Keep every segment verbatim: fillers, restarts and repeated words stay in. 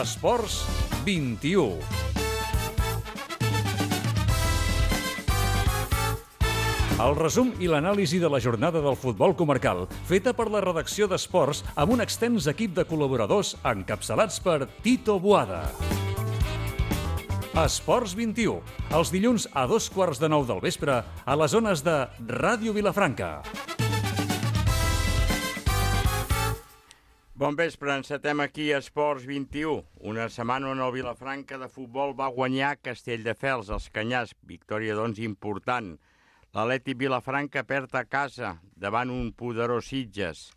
Esports vint-i-u. El resum i l'anàlisi de la jornada del futbol comarcal, feta per la redacció d'Esports amb un extens equip de col·laboradors encapçalats per Tito Boada. Esports vint-i-u, els dilluns a dos quarts de nou del vespre a les zones de Ràdio Vilafranca. Bon vespre, encetem aquí a Esports vint-i-u. Una setmana on el Vilafranca de futbol va guanyar Castelldefels, els Canyars. Victòria, doncs, important. L'Atlètic Vilafranca perd a casa davant un poderós Sitges.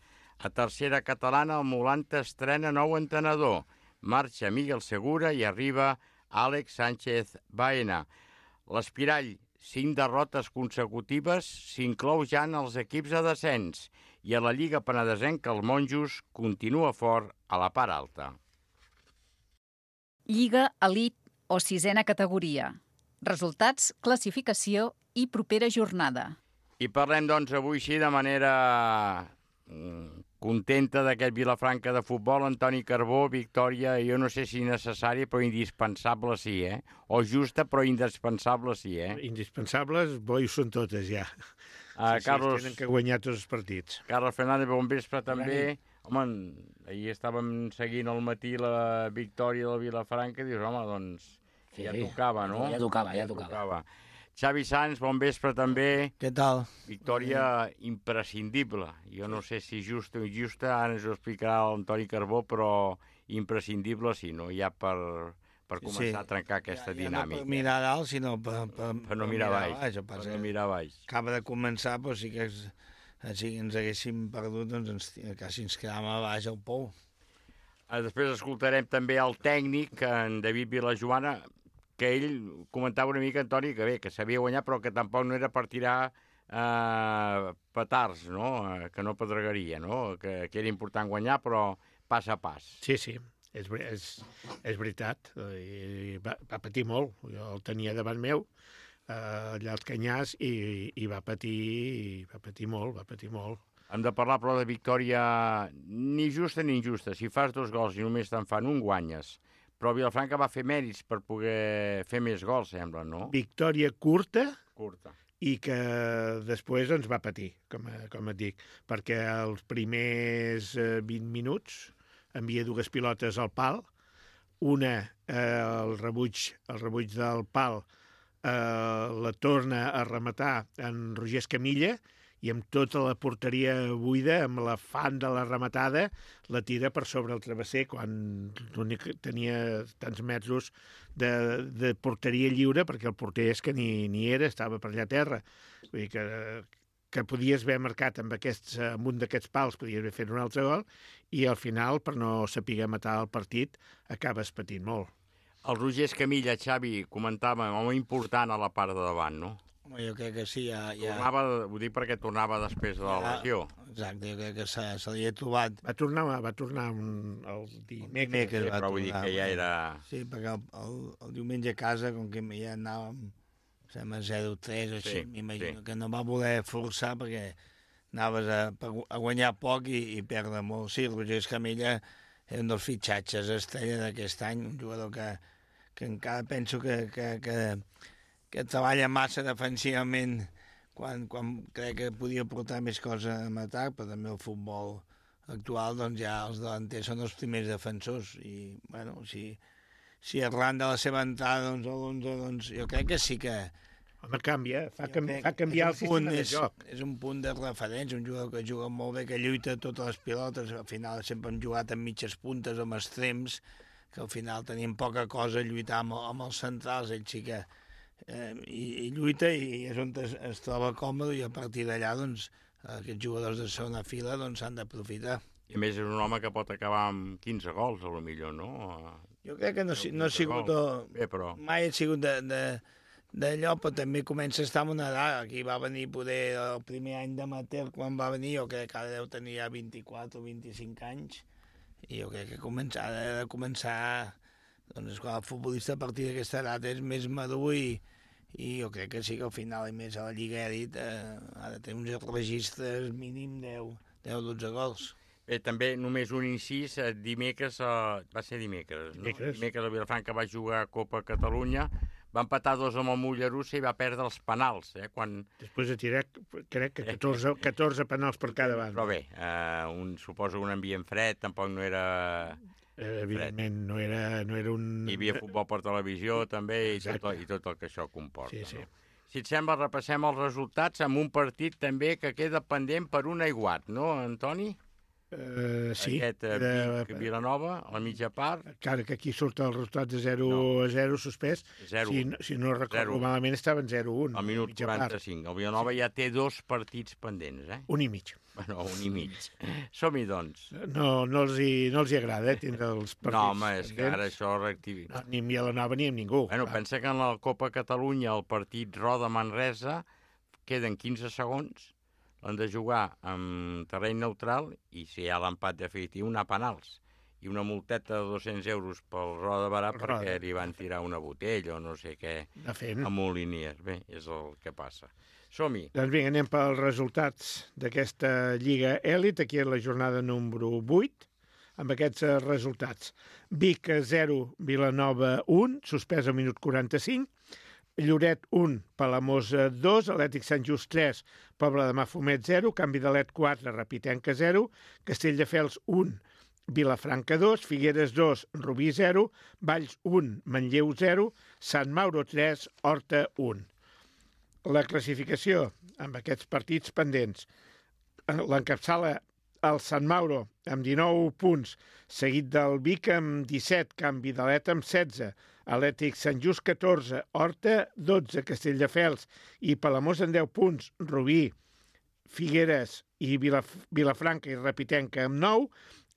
A tercera catalana, el Molanta estrena nou entrenador. Marxa Miguel Segura i arriba Àlex Sánchez Baena. L'Espirall, cinc derrotes consecutives, s'inclou ja en els equips de descens. I a la Lliga Penedesenca, el Monjos continua fort a la part alta. Lliga Elit o sisena categoria. Resultats, classificació i propera jornada. I parlem, doncs, avui sí de manera mm, contenta d'aquest Vilafranca de futbol. Antoni Carbó, victòria, jo no sé si necessària, però indispensable sí, eh? O justa, però indispensable sí, eh? Indispensables, bo, hi són totes ja. Uh, sí, Carlos, sí, tenen que guanyar tots els partits. Carlos Fernández, bon vespre també. Home, ahir estàvem seguint al matí la victòria del Vilafranca i dius, home, doncs sí, ja tocava, no? Ja tocava, ja tocava. tocava. Xavi Sanz, bon vespre també. Què tal? Victòria imprescindible. Jo no sé si justa o injusta, ara ens ho explicarà l'Antoni Carbó, però imprescindible sí, no? Ja per, per començar sí. a trencar aquesta ja, ja dinàmica. No per mirar dalt, sinó per, per, per no mirar baix. baix per no mirar baix. Acaba de començar, però sí que es, si ens haguéssim perdut, doncs ens, quasi ens quedàvem a baix al pou. Després escoltarem també el tècnic, en David Vilajoana, que ell comentava una mica, Antoni, que bé, que sabia guanyar, però que tampoc no era per tirar eh, petards, no? Que no pedregaria, no? Que, que era important guanyar, però pas a pas. Sí, sí, és, és, és veritat. I va, va patir molt. Jo el tenia davant meu, eh, allà als Canyars, i, i va patir i va patir molt, va patir molt. Hem de parlar, però, de victòria ni justa ni injusta. Si fas dos gols i només te'n fan un, guanyes. Però Vilafranca va fer mèrits per poder fer més gols, sembla, no? Victòria curta, curta. I que després ens va patir, com, com et dic, perquè els primers eh, vint minuts envia dues pilotes al pal, una, eh, el, rebuig, el rebuig del pal, eh, la torna a rematar en Roger Escamilla, i amb tota la porteria buida, amb l'afant de la rematada, la tira per sobre el travesser, quan tenia tants metres de, de porteria lliure, perquè el porter és que ni, ni era, estava per allà a terra. Vull dir que, que podies haver marcat amb, aquests, amb un d'aquests pals, podies haver fet un altre gol, i al final, per no saber matar el partit, acabes patint molt. El Roger Escamilla, Xavi, comentava, home important a la part de davant, no? Home, jo crec que sí, ja... ja... Tornava, ho dic perquè tornava després de la ja, lesió. Exacte, jo crec que se, se li ha trobat... Va tornar, va tornar un, el dimecres. Sí, però vull dir que ja era... Sí, perquè el, el, el diumenge a casa, com que ja anàvem, sembla, zero tres, així, sí, m'imagino sí. que no va voler forçar perquè anaves a, a guanyar poc i, i perdre molt. Sí, el Roger Escamilla és un dels fitxatges estrella d'aquest any, un jugador que, que encara penso que... que, que que treballa massa defensivament quan, quan crec que podia portar més coses en atac, però també el futbol actual, doncs ja els delanters són els primers defensors i, bueno, si, si arran de la seva entrada, doncs, a l'onze, doncs jo crec que sí que... Home, canvia, fa, canvi, fa canviar el sistema de joc. És, és un punt de referència, un jugador que juga molt bé, que lluita totes les pilotes, al final sempre hem jugat amb mitges puntes, amb extrems, que al final tenim poca cosa a lluitar amb, amb els centrals, ell sí que... Eh, i, i lluita i és on es, es troba còmode i a partir d'allà doncs, aquests jugadors de segona fila doncs, s'han d'aprofitar. I a més és un home que pot acabar amb quinze gols, a lo millor, no? Jo crec que no, no ha sigut... Bé, però... Mai ha sigut d'allò, però també comença a estar en una edat. Aquí va venir poder el primer any d'amateur, quan va venir, jo crec que ara deu tenir ja vint-i-quatre o vint-i-cinc anys, i jo crec que comença, ha de començar... Doncs quan el futbolista a partir d'aquesta edat és més madur i, i jo crec que sí que al final, i més a la Lliga Elit, eh, ha de tenir uns registres mínim deu dotze gols. Bé, també només un incís, eh, dimecres, eh, va ser dimecres, no? Dimecres. Dimecres el Vilafranca va jugar a Copa Catalunya, va empatar dos amb el Mollerussa i va perdre els penals, eh, quan... Després de tirar, crec que catorze, catorze penals per cada banda. Però bé, eh, un, suposo un ambient fred, tampoc no era... Eh, evidentment, no era, no era un... Hi havia futbol per televisió, també, i tot, Exacte. i tot el que això comporta. Sí, sí. No? Si et sembla, repassem els resultats amb un partit també que queda pendent per un aiguat, no, Antoni? Uh, sí. Aquest eh, era- Vic Vilanova, a la mitja part, Encara que aquí surt el resultat de zero No. a zero suspès. zero. Si, no- si no recordo Zero. malament, estaven zero a un. al minut mitja part. quaranta-cinc. El Vilanova ja té dos partits pendents, eh? Un i mig. Bueno, un i mig. Som-hi, doncs. No, no, els hi, no els hi agrada, eh, tindre els partits. No, home, és que ara pendents. això reactivi. No, ni amb Vilanova ni amb ningú. Bueno, clar. pensa que en la Copa Catalunya el partit Roda-Manresa queden quinze segons, l'han de jugar en terreny neutral i si hi ha l'empat definitiu, anar a penals. I una multeta de dos-cents euros pel Roda Barà Roda. perquè li van tirar una botella o no sé què De fet. a Moliniers. Bé, és el que passa. Som-hi. Doncs vinga, anem pels resultats d'aquesta Lliga Èlit, aquí a la jornada número vuit, amb aquests eh, resultats. Vic zero, Vilanova un, suspès al minut quaranta-cinc, Lloret un, Palamós dos, Atlètic Sant Just tres, Pobla de Mafumet zero, Canvi de Let quatre, Rapitenca zero, Castelldefels un, Vilafranca dos, Figueres dos, Rubí zero, Valls un, Manlleu zero, Sant Mauro tres, Horta un. La classificació, amb aquests partits pendents, l'encapçala el Sant Mauro amb dinou punts, seguit del Vic amb disset, Canvi de Let amb setze, Atlètic Sant Just catorze, Horta dotze, Castelldefels i Palamós amb deu punts, Rubí, Figueres i Vilaf Vilafranca i Rapitenca amb nou,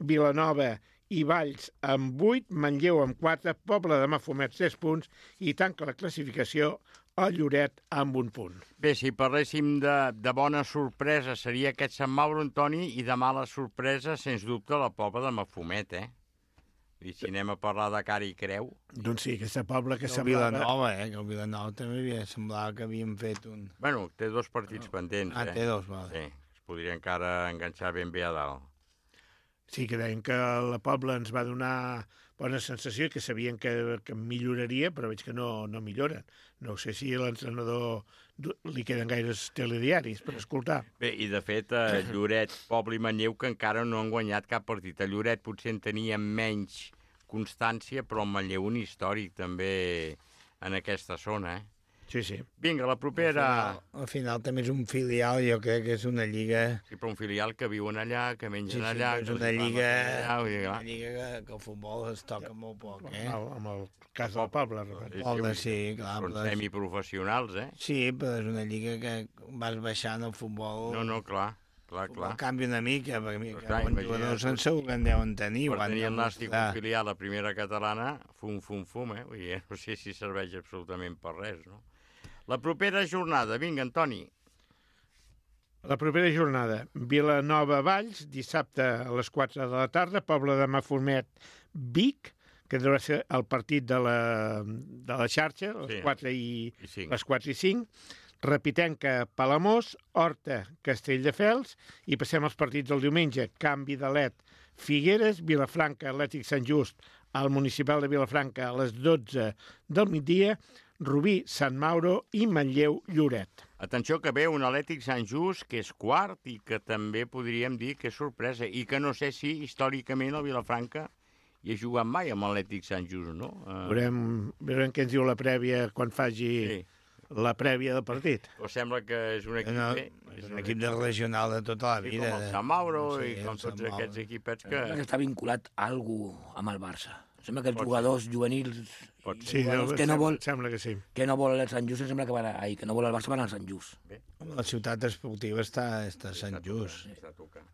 Vilanova i Valls amb vuit, Manlleu amb quatre, Pobla de Mafumet tres punts i tanca la classificació el Lloret amb un punt. Bé, si parléssim de, de bona sorpresa seria aquest Sant Mauro, Antoni, i de mala sorpresa, sens dubte, la Pobla de Mafumet, eh? I si anem a parlar de cara i creu... Doncs sí, aquesta Pobla que El semblava... Vilanova, eh? Que el Vilanova també havia, semblava que havíem fet un... Bueno, té dos partits pendents, Ah, eh? té dos, vale. Sí, es podria encara enganxar ben bé a dalt. Sí, que deien que la Pobla ens va donar bona sensació, que sabien que, que milloraria, però veig que no, no milloren. No sé si a l'entrenador li queden gaires telediaris per escoltar. Bé, i de fet, a Lloret, Poble i Manlleu, que encara no han guanyat cap partit. A Lloret potser en tenia menys constància, però el Manlleu un històric també en aquesta zona, eh? Sí, sí. Vinga, la propera... Al final, al final també és un filial, jo crec que és una lliga... Sí, però un filial que viuen allà, que mengen Sí, sí, allà... és que una els hi lliga, allà, vull dir, clar. una lliga que, que el futbol es toca molt poc, eh? Amb, el, amb el cas del Pobla. Sí, Poble, sí, sí, clar. Són Però és, semiprofessionals, eh? sí, però és una lliga que vas baixant el futbol... No, no, clar, clar, El clar. futbol canvia una mica, perquè mira, Però que clar, bons imagina't jugadors tu. en segur que en deuen tenir. Per ho han tenir el de Nàstic mostrar. un filial a primera catalana, fum, fum, fum, eh? Vull dir, no sé si serveix absolutament per res, no? La propera jornada, vinga, Antoni. La propera jornada, Vilanova-Valls, dissabte a les quatre de la tarda, Pobla de Mafumet, Vic, que deu ser el partit de la, de la xarxa, a les Sí. quatre i, I cinc. les quatre i cinc, Rapitenca, Palamós, Horta, Castelldefels, i passem als partits del diumenge, Canvi de Let, Figueres, Vilafranca, Atlètic Sant Just, al municipal de Vilafranca a les dotze del migdia, Rubí, Sant Mauro i Manlleu, Lloret. Atenció que ve un Atlètic Sant Just, que és quart i que també podríem dir que és sorpresa i que no sé si històricament el Vilafranca hi ha jugat mai amb l'Atlètic Sant Just, no? Uh, Veurem, veurem què ens diu la prèvia quan faci sí. la prèvia del partit. O sembla que és un equip No, bé. és un equip de regional de tota la Sí, vida. com el de- Sant Mauro sí, i com el tots Sant Mauro. aquests equipets que... Sembla que està vinculat a algú amb el Barça. Sembla que els Pot ser. jugadors juvenils Pot i Sí, jugadors no, que, no vol, sembla que sí. que no vol el Sant Just, em sembla que van a, ai, que no vol el Barça van al Sant Just. La ciutat esportiva està, està a Sant Just. Està tocant.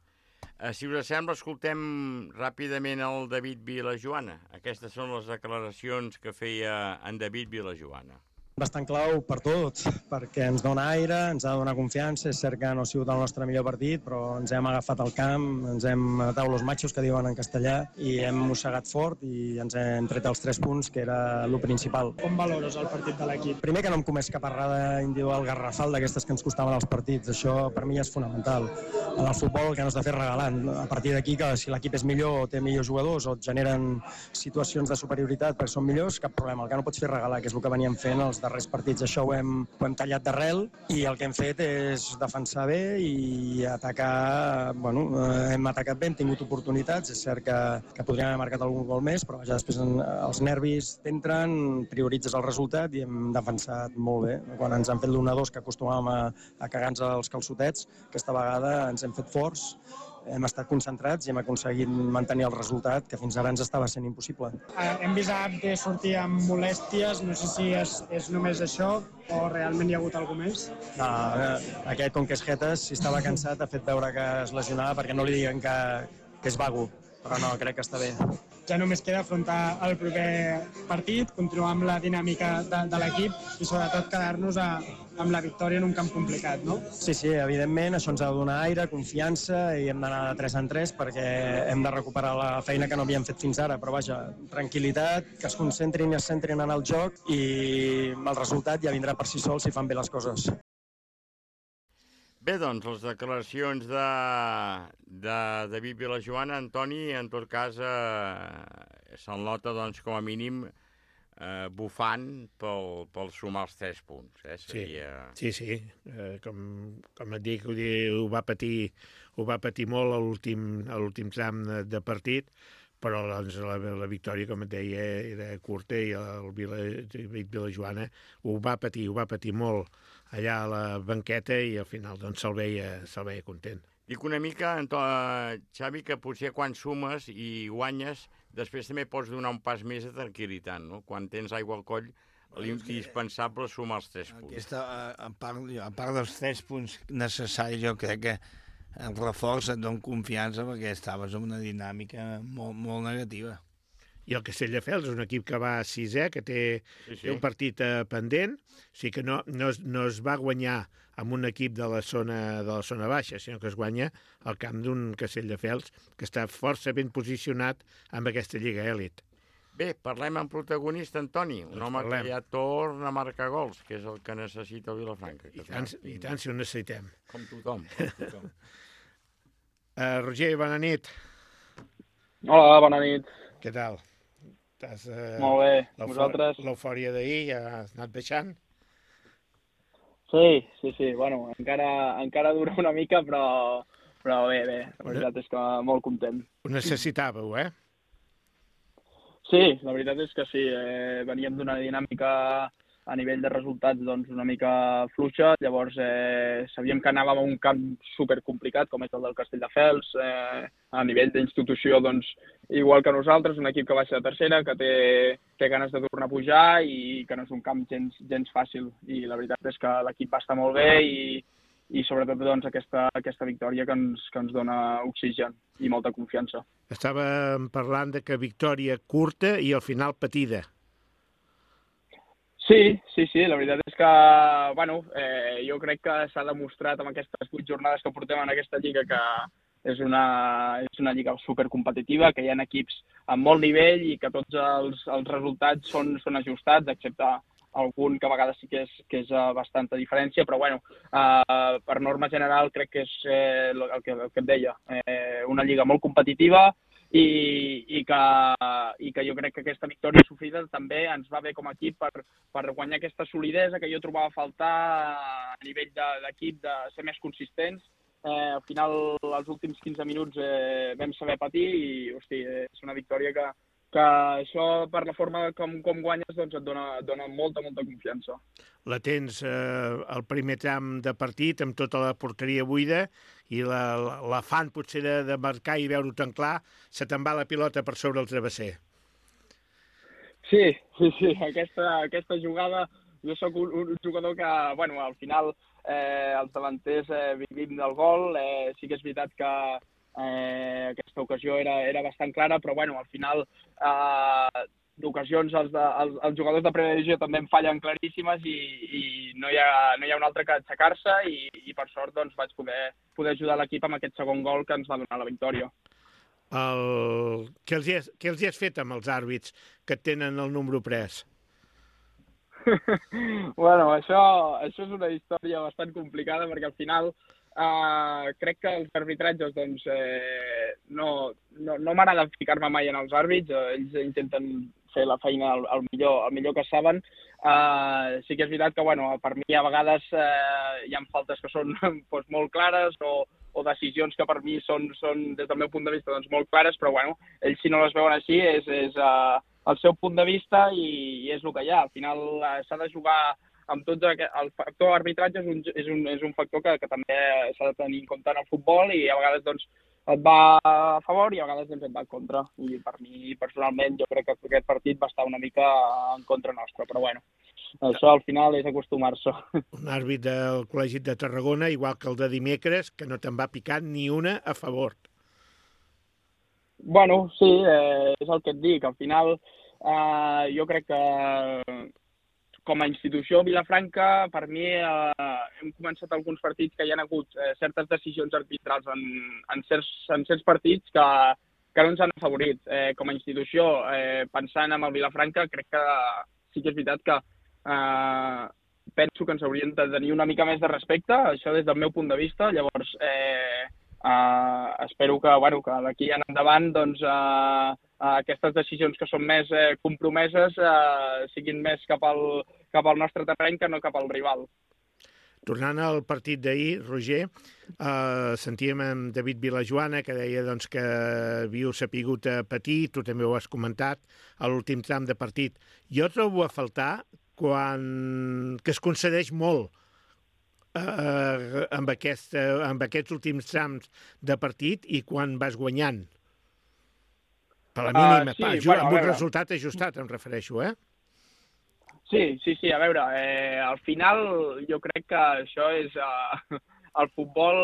Uh, si us sembla, escoltem ràpidament el David Vilajoana. Aquestes són les declaracions que feia en David Vilajoana. Bastant clau per tot, perquè ens dona aire, ens ha de donar confiança. És cert que no ha sigut el nostre millor partit, però ens hem agafat al camp, ens hem atau los machos, que diuen en castellà, i hem mossegat fort i ens hem tret els tres punts, que era el principal. Com valores el partit de l'equip? Primer, que no hem comès cap errada individual garrafal d'aquestes que ens costaven els partits. Això per mi és fonamental. En el futbol el que no has de fer regalant. A partir d'aquí, que si l'equip és millor o té millors jugadors o et generen situacions de superioritat perquè són millors, cap problema. El que no pots fer regalar, que és el que veníem fent els darrers partits. Això ho hem, ho hem tallat d'arrel i el que hem fet és defensar bé i atacar. Bueno, hem atacat bé, hem tingut oportunitats. És cert que, que podríem haver marcat algun gol més, però ja després els nervis t'entren, prioritzes el resultat i hem defensat molt bé. Quan ens han fet l'u a dos, que acostumàvem a, a cagar-nos els calçotets, aquesta vegada ens hem fet forts, hem estat concentrats i hem aconseguit mantenir el resultat, que fins ara ens estava sent impossible. Eh, hem vist a Abde sortir amb molèsties, no sé si és, és només això o realment hi ha hagut alguna més? No, aquest, com que és jetes, si estava cansat, ha fet veure que es lesionava perquè no li diguen que, que és vago, però no, crec que està bé. Ja només queda afrontar el proper partit, continuar amb la dinàmica de, de l'equip i sobretot quedar-nos a, amb la victòria en un camp complicat, no? Sí, sí, evidentment, això ens ha de donar aire, confiança i hem d'anar de tres en tres perquè hem de recuperar la feina que no havíem fet fins ara, però vaja, tranquil·litat, que es concentrin i es centrin en el joc i el resultat ja vindrà per si sol si fan bé les coses. Bé, doncs, les declaracions de, de David Vilajoana, Antoni, en tot cas, eh, se'l nota, doncs, com a mínim, eh, bufant pel, pel sumar els tres punts. Eh? Seria... Sí, sí, sí. Eh, com, com et dic, ho va patir, ho va patir molt a l'últim tram de, de partit, però doncs, la, la victòria, com et deia, era curta i el Vila, Vilajoana ho va patir, ho va patir molt allà a la banqueta i al final doncs, se'l veia, se'l veia content. Dic una mica, Xavi, que potser quan sumes i guanyes, després també pots donar un pas més de tranquil·litat, no? Quan tens aigua al coll, l'indispensable sumar els tres punts. Aquesta, a, part, a part dels tres punts necessaris, jo crec que el reforç et dona confiança perquè estaves en una dinàmica molt, molt negativa. I el Castelldefels és un equip que va a sisè, que té, sí, sí. té un partit eh, pendent, o sigui que no, no, es, no es va guanyar amb un equip de la zona de la zona baixa, sinó que es guanya al camp d'un Castelldefels que està força ben posicionat amb aquesta Lliga Èlit. Bé, parlem amb protagonista, Antoni, un doncs home parlem. Que ja torna a marcar gols, que és el que necessita el Vilafranca. I tant, i tant si ho necessitem. Com tothom. Com tothom. uh, Roger, bona nit. Hola, bona nit. Què tal? Estàs, uh, molt bé, vosaltres? L'eufòria d'ahir ja has anat baixant? Sí, sí, sí, bueno, encara, encara dura una mica, però, però bé, bé, la veritat és que molt content. Ho necessitàveu, eh? Sí, la veritat és que sí, eh, veníem d'una dinàmica a nivell de resultats doncs, una mica fluixa, llavors eh, sabíem que anàvem a un camp supercomplicat com és el del Castelldefels, eh, a nivell d'institució doncs, igual que nosaltres, un equip que baixa de tercera, que té, té ganes de tornar a pujar i que no és un camp gens, gens fàcil. I la veritat és que l'equip va estar molt bé i, i sobretot doncs, aquesta, aquesta victòria que ens, que ens dona oxigen i molta confiança. Estàvem parlant de que victòria curta i al final patida. Sí, sí, sí, la veritat és que, bueno, eh, jo crec que s'ha demostrat amb aquestes vuit jornades que portem en aquesta lliga que és una, és una lliga supercompetitiva, que hi ha equips amb molt nivell i que tots els, els resultats són, són ajustats, excepte algun que a vegades sí que és, que és bastanta diferència, però bueno, eh, per norma general crec que és eh, el, que, el que et deia, eh, una lliga molt competitiva, I, i, que, i que jo crec que aquesta victòria sofrida també ens va bé com a equip per, per guanyar aquesta solidesa que jo trobava a faltar a nivell d'equip, de, de ser més consistents. Eh, al final, els últims quinze minuts eh, vam saber patir i hosti, és una victòria que, que això, per la forma com, com guanyes, doncs et dona, et dona molta, molta confiança. La tens eh, al primer tram de partit amb tota la porteria buida i l'afant la, potser de, de marcar i veure-ho tan clar, se te'n va la pilota per sobre el travesser. Sí, sí, sí. Aquesta, aquesta jugada, jo sóc un, un jugador que, bueno, al final eh, els davanters eh, vivim del gol. Eh, sí que és veritat que eh, aquesta ocasió era, era bastant clara, però bueno, al final eh, d'ocasions els, de, els, els jugadors de primera divisió també en fallen claríssimes i, i no, hi ha, no hi ha un altre que aixecar-se i, i per sort doncs, vaig poder, poder ajudar l'equip amb aquest segon gol que ens va donar la victòria. El... Què, els has, què els has fet amb els àrbits que tenen el número pres? bueno, això, això és una història bastant complicada perquè al final uh, crec que els arbitratges doncs, eh, no, no, no m'agrada ficar-me mai en els àrbits, eh, ells intenten fer la feina el, el, millor, el millor que saben. Uh, sí que és veritat que bueno, per mi a vegades uh, hi ha faltes que són doncs, molt clares o, o decisions que per mi són, són des del meu punt de vista doncs, molt clares, però bueno, ells si no les veuen així és, és uh, el seu punt de vista i, i és el que hi ha. Al final uh, s'ha de jugar amb tots aquest... El factor arbitratge és un, és un, és un factor que, que també s'ha de tenir en compte en el futbol i a vegades doncs, et va a favor i a vegades doncs, et va en contra. I per mi, personalment, jo crec que aquest partit va estar una mica en contra nostra, però bueno, això al final és acostumar-se. Un àrbit del Col·legi de Tarragona, igual que el de dimecres, que no te'n va picar ni una a favor. Bueno, sí, eh, és el que et dic. Al final, eh, jo crec que com a institució Vilafranca, per mi eh, hem començat alguns partits que hi ha hagut eh, certes decisions arbitrals en, en, certs, en certs partits que, que no ens han afavorit. Eh, com a institució, eh, pensant en el Vilafranca, crec que sí que és veritat que eh, penso que ens haurien de tenir una mica més de respecte, això des del meu punt de vista. Llavors, eh, Uh, espero que, bueno, que d'aquí en endavant doncs, uh, uh, aquestes decisions que són més uh, compromeses uh, siguin més cap al, cap al nostre terreny que no cap al rival. Tornant al partit d'ahir, Roger, uh, sentíem amb David Vilajoana que deia doncs, que havíeu sapigut a patir, tu també ho has comentat, a l'últim tram de partit. Jo trobo a faltar quan... que es concedeix molt Uh, amb, aquest, uh, amb aquests últims trams de partit i quan vas guanyant. Per la mínima, uh, sí, pa, bueno, amb un resultat ajustat, em refereixo, eh? Sí, sí, sí, a veure, eh, al final jo crec que això és... Uh, el futbol,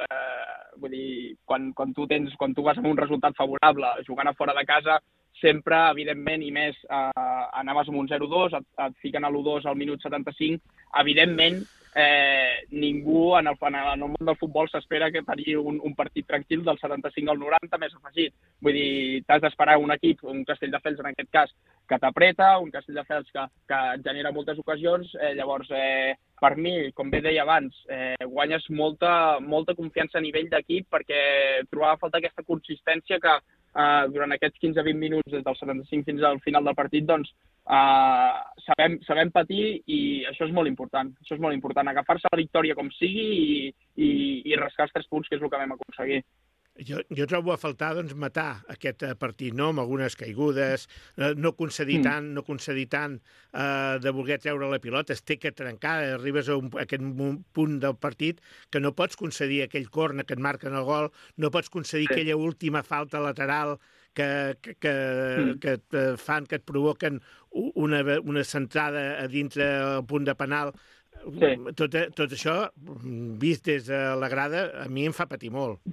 eh, vull dir, quan, quan, tu tens, quan tu vas amb un resultat favorable jugant a fora de casa, sempre, evidentment, i més, eh, anaves amb un zero dos, et, et fiquen a l'u dos al minut setanta-cinc, evidentment, eh, ningú en el, en el món del futbol s'espera que tenir un, un partit tranquil del setanta-cinc al noranta més afegit. Vull dir, t'has d'esperar un equip, un Castelldefels en aquest cas, que t'apreta, un Castelldefels que, que et genera moltes ocasions, eh, llavors, eh, per mi, com bé deia abans, eh, guanyes molta, molta confiança a nivell d'equip perquè trobava a faltar aquesta consistència que eh, durant aquests quinze a vint minuts des del setanta-cinc fins al final del partit doncs, eh, sabem, sabem patir i això és molt important. Això és molt important, agafar-se la victòria com sigui i, i, i rascar els tres punts, que és el que vam aconseguir. Jo, jo trobo a faltar doncs, matar aquest partit, no? Amb algunes caigudes, no concedir mm. tant, no concedir tant eh, de voler treure la pilota, es té que trencar, arribes a, un, a aquest punt del partit que no pots concedir aquell corner que et marquen el gol, no pots concedir sí. aquella última falta lateral que, que, que, mm. que et fan, que et provoquen una, una centrada a dintre el punt de penal. Sí. Tot, tot això, vist des de la grada, a mi em fa patir molt.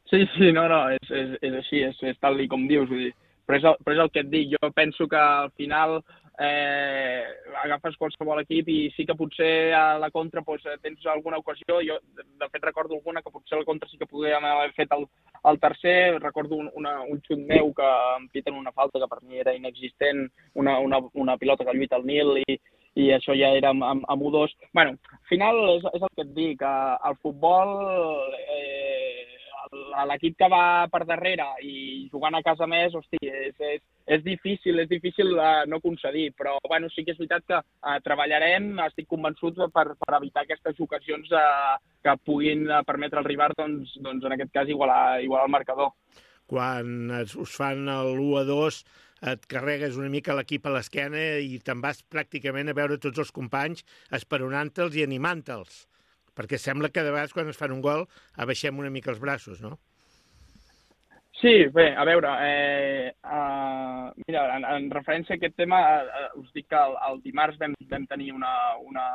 Sí, sí, no, no, és, és, és així, és, és tal com dius, vull dir. Però és, el, però és el que et dic, jo penso que al final eh, agafes qualsevol equip i sí que potser a la contra doncs, tens alguna ocasió, jo de fet recordo alguna que potser a la contra sí que podríem haver fet el, el tercer, recordo un, una, un xut meu que em piten una falta que per mi era inexistent, una, una, una pilota que lluita al Nil i, i això ja era amb, amb, amb u dos. Bueno, al final és, és el que et dic, el futbol... Eh, l'equip que va per darrere i jugant a casa més, hosti, és, és, és difícil, és difícil uh, no concedir, però bueno, sí que és veritat que uh, treballarem, estic convençut per, per evitar aquestes ocasions uh, que puguin uh, permetre al rival, doncs, doncs en aquest cas igualar, igualar el marcador. Quan us fan l'u a dos et carregues una mica l'equip a l'esquena i te'n vas pràcticament a veure tots els companys esperonant-te'ls i animant-te'ls. Perquè sembla que de vegades quan es fan un gol abaixem una mica els braços, no? Sí, bé, a veure, eh, uh, mira, en, en referència a aquest tema, uh, us dic que el, el dimarts vam, vam tenir una, una,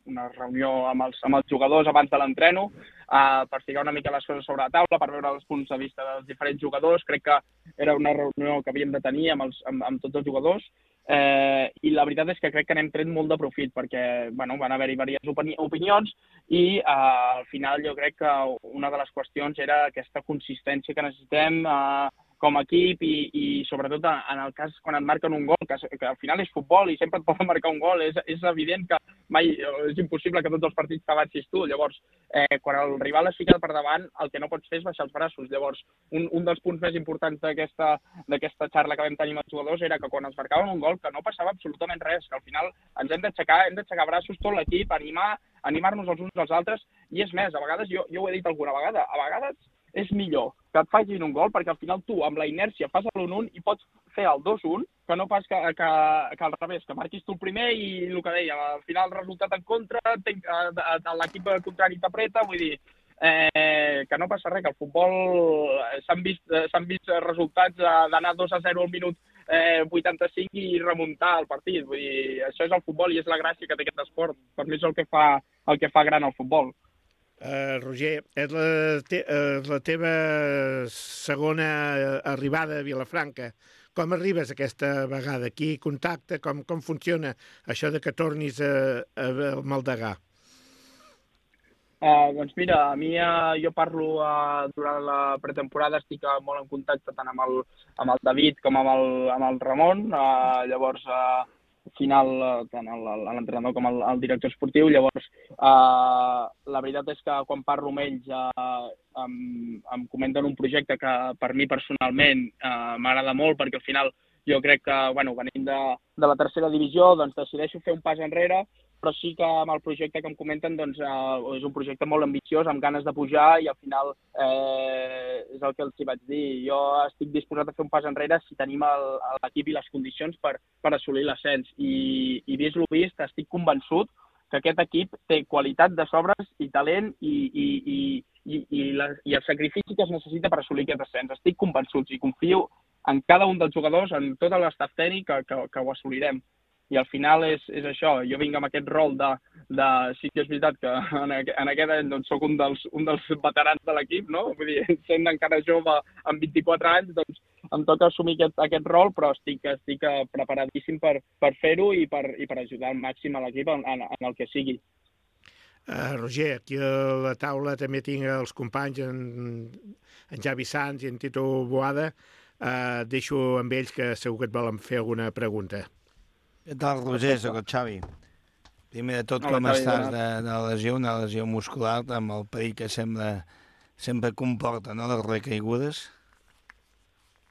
una reunió amb els, amb els jugadors abans de l'entreno uh, per ficar una mica les coses sobre la taula, per veure els punts de vista dels diferents jugadors. Crec que era una reunió que havíem de tenir amb, els, amb, amb tots els jugadors. Eh, I la veritat és que crec que n'hem tret molt de profit perquè bueno, van haver-hi diverses opini opinions i eh, al final jo crec que una de les qüestions era aquesta consistència que necessitem eh, com a equip i, i sobretot en el cas quan et marquen un gol, que, que al final és futbol i sempre et poden marcar un gol, és, és evident que mai és impossible que tots els partits t'avancis tu. Llavors, eh, quan el rival es fica per davant, el que no pots fer és baixar els braços. Llavors, un, un dels punts més importants d'aquesta d'aquesta xarra que vam tenir amb els jugadors era que quan ens marcaven un gol que no passava absolutament res, que al final ens hem d'aixecar, hem d'aixecar braços tot l'equip, animar, animar-nos els uns als altres, i és més, a vegades, jo, jo ho he dit alguna vegada, a vegades és millor que et facin un gol perquè al final tu amb la inèrcia fas l'un un i pots fer el dos un que no pas que, que, que al revés, que marquis tu el primer i el que deia, al final el resultat en contra, l'equip contrari t'apreta, vull dir, eh, que no passa res, que al futbol s'han vist, s'han vist resultats d'anar dos a zero al minut eh, vuitanta-cinc i remuntar el partit, vull dir, això és el futbol i és la gràcia que té aquest esport, per mi és el que fa, el que fa gran el futbol. Uh, Roger, és la, te uh, la teva segona arribada a Vilafranca. Com arribes aquesta vegada? Qui contacta? Com, com funciona això de que tornis a, a, a Maldegà? Uh, doncs mira, a mi uh, jo parlo uh, durant la pretemporada, estic uh, molt en contacte tant amb el, amb el David com amb el, amb el Ramon, uh, llavors uh, al final tant l'entrenador com el, el director esportiu, llavors uh, la veritat és que quan parlo amb ells uh, em, em comenten un projecte que per mi personalment uh, m'agrada molt perquè al final jo crec que, bueno, venint de, de la tercera divisió, doncs decideixo fer un pas enrere, però sí que amb el projecte que em comenten doncs, eh, és un projecte molt ambiciós, amb ganes de pujar i al final eh, és el que els hi vaig dir. Jo estic disposat a fer un pas enrere si tenim l'equip i les condicions per, per assolir l'ascens. I, i vist lo vist, estic convençut que aquest equip té qualitat de sobres i talent i, i, i, i, i, la, i el sacrifici que es necessita per assolir aquest ascens. Estic convençut i confio en cada un dels jugadors, en tot l'estaf tècnic que, que, que ho assolirem. I al final és, és això, jo vinc amb aquest rol de, de sí que és veritat que en, en aquest any doncs, soc un dels, un dels veterans de l'equip, no? Vull dir, sent encara jove amb vint-i-quatre anys, doncs em toca assumir aquest, aquest rol, però estic, estic preparadíssim per, per fer-ho i, per, i per ajudar al màxim a l'equip en, en, en el que sigui. Uh, Roger, aquí a la taula també tinc els companys, en, en Javi Sanz i en Tito Boada. Uh, deixo amb ells que segur que et volen fer alguna pregunta. Què tal, Roger? Soc el Xavi. Primer de tot, com estàs de, de la lesió, una lesió muscular amb el perill que sembla, sempre comporta, no?, les recaigudes?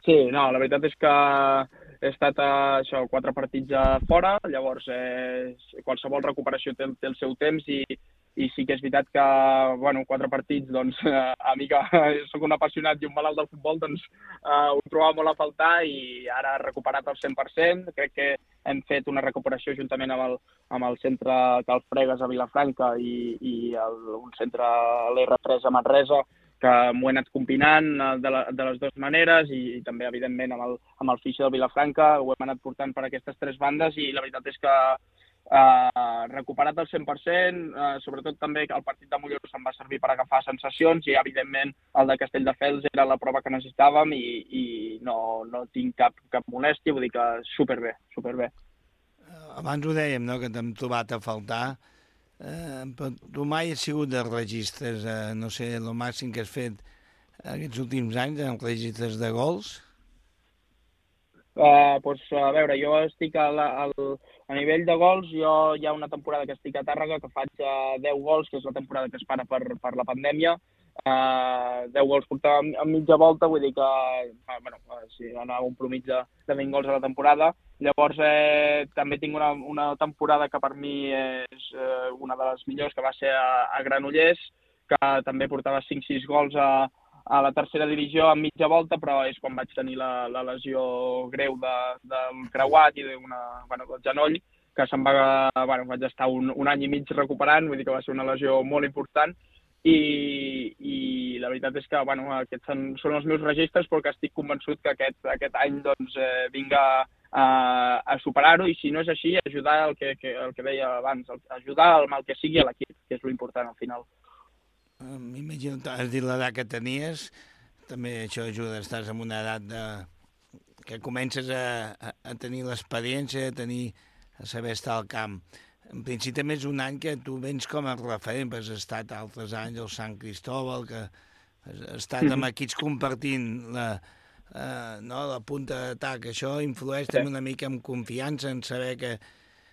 Sí, no, la veritat és que he estat a això, quatre partits a fora, llavors eh, qualsevol recuperació té, té el seu temps i, i sí que és veritat que, bueno, quatre partits, doncs, a mi que soc un apassionat i un malalt del futbol, doncs eh, ho trobava molt a faltar i ara he recuperat al cent per cent. Crec que hem fet una recuperació juntament amb el, amb el centre Cal Fregues a Vilafranca i, i el, un centre a l'R tres a Manresa, que m'ho he anat combinant de, la, de les dues maneres i, i també, evidentment, amb el, amb el fitxer de Vilafranca ho hem anat portant per aquestes tres bandes i la veritat és que eh, recuperat al cent per cent, eh, sobretot també el partit de Mollerussa em va servir per agafar sensacions i, evidentment, el de Castelldefels era la prova que necessitàvem i, i no, no tinc cap, cap molèstia, vull dir que superbé, superbé. Abans ho dèiem, no?, que t'hem trobat a faltar. Eh, però tu mai has sigut de registres, eh, no sé, el màxim que has fet aquests últims anys en registres de gols? Uh, pues, a veure, jo estic a, la, a, a nivell de gols, jo hi ha una temporada que estic a Tàrrega que faig uh, deu gols, que és la temporada que es para per, per la pandèmia. Uh, deu gols portava a mitja volta, vull dir que uh, bueno, uh, sí, anava un promig de, de vint gols a la temporada. Llavors eh, també tinc una, una temporada que per mi és eh, una de les millors, que va ser a, a Granollers, que també portava cinc sis gols a, a la tercera divisió a mitja volta, però és quan vaig tenir la, la lesió greu de, del creuat i de una, bueno, del genoll, que se'm va, bueno, vaig estar un, un any i mig recuperant, vull dir que va ser una lesió molt important. I, i la veritat és que bueno, aquests són, són els meus registres, però que estic convençut que aquest, aquest any doncs, eh, vinga a, a superar-ho, i si no és així, ajudar el que, que, el que deia abans, ajudar el mal que sigui a l'equip, que és l'important al final. M'imagino, has dit l'edat que tenies, també això ajuda, estàs en una edat de... que comences a, a, a tenir l'experiència, a tenir, a saber estar al camp. En principi també és un any que tu vens com a referent, perquè has estat altres anys al Sant Cristóbal, que has estat amb equips compartint la, eh, no, la punta d'atac. Això influeix també una mica amb confiança, en saber que,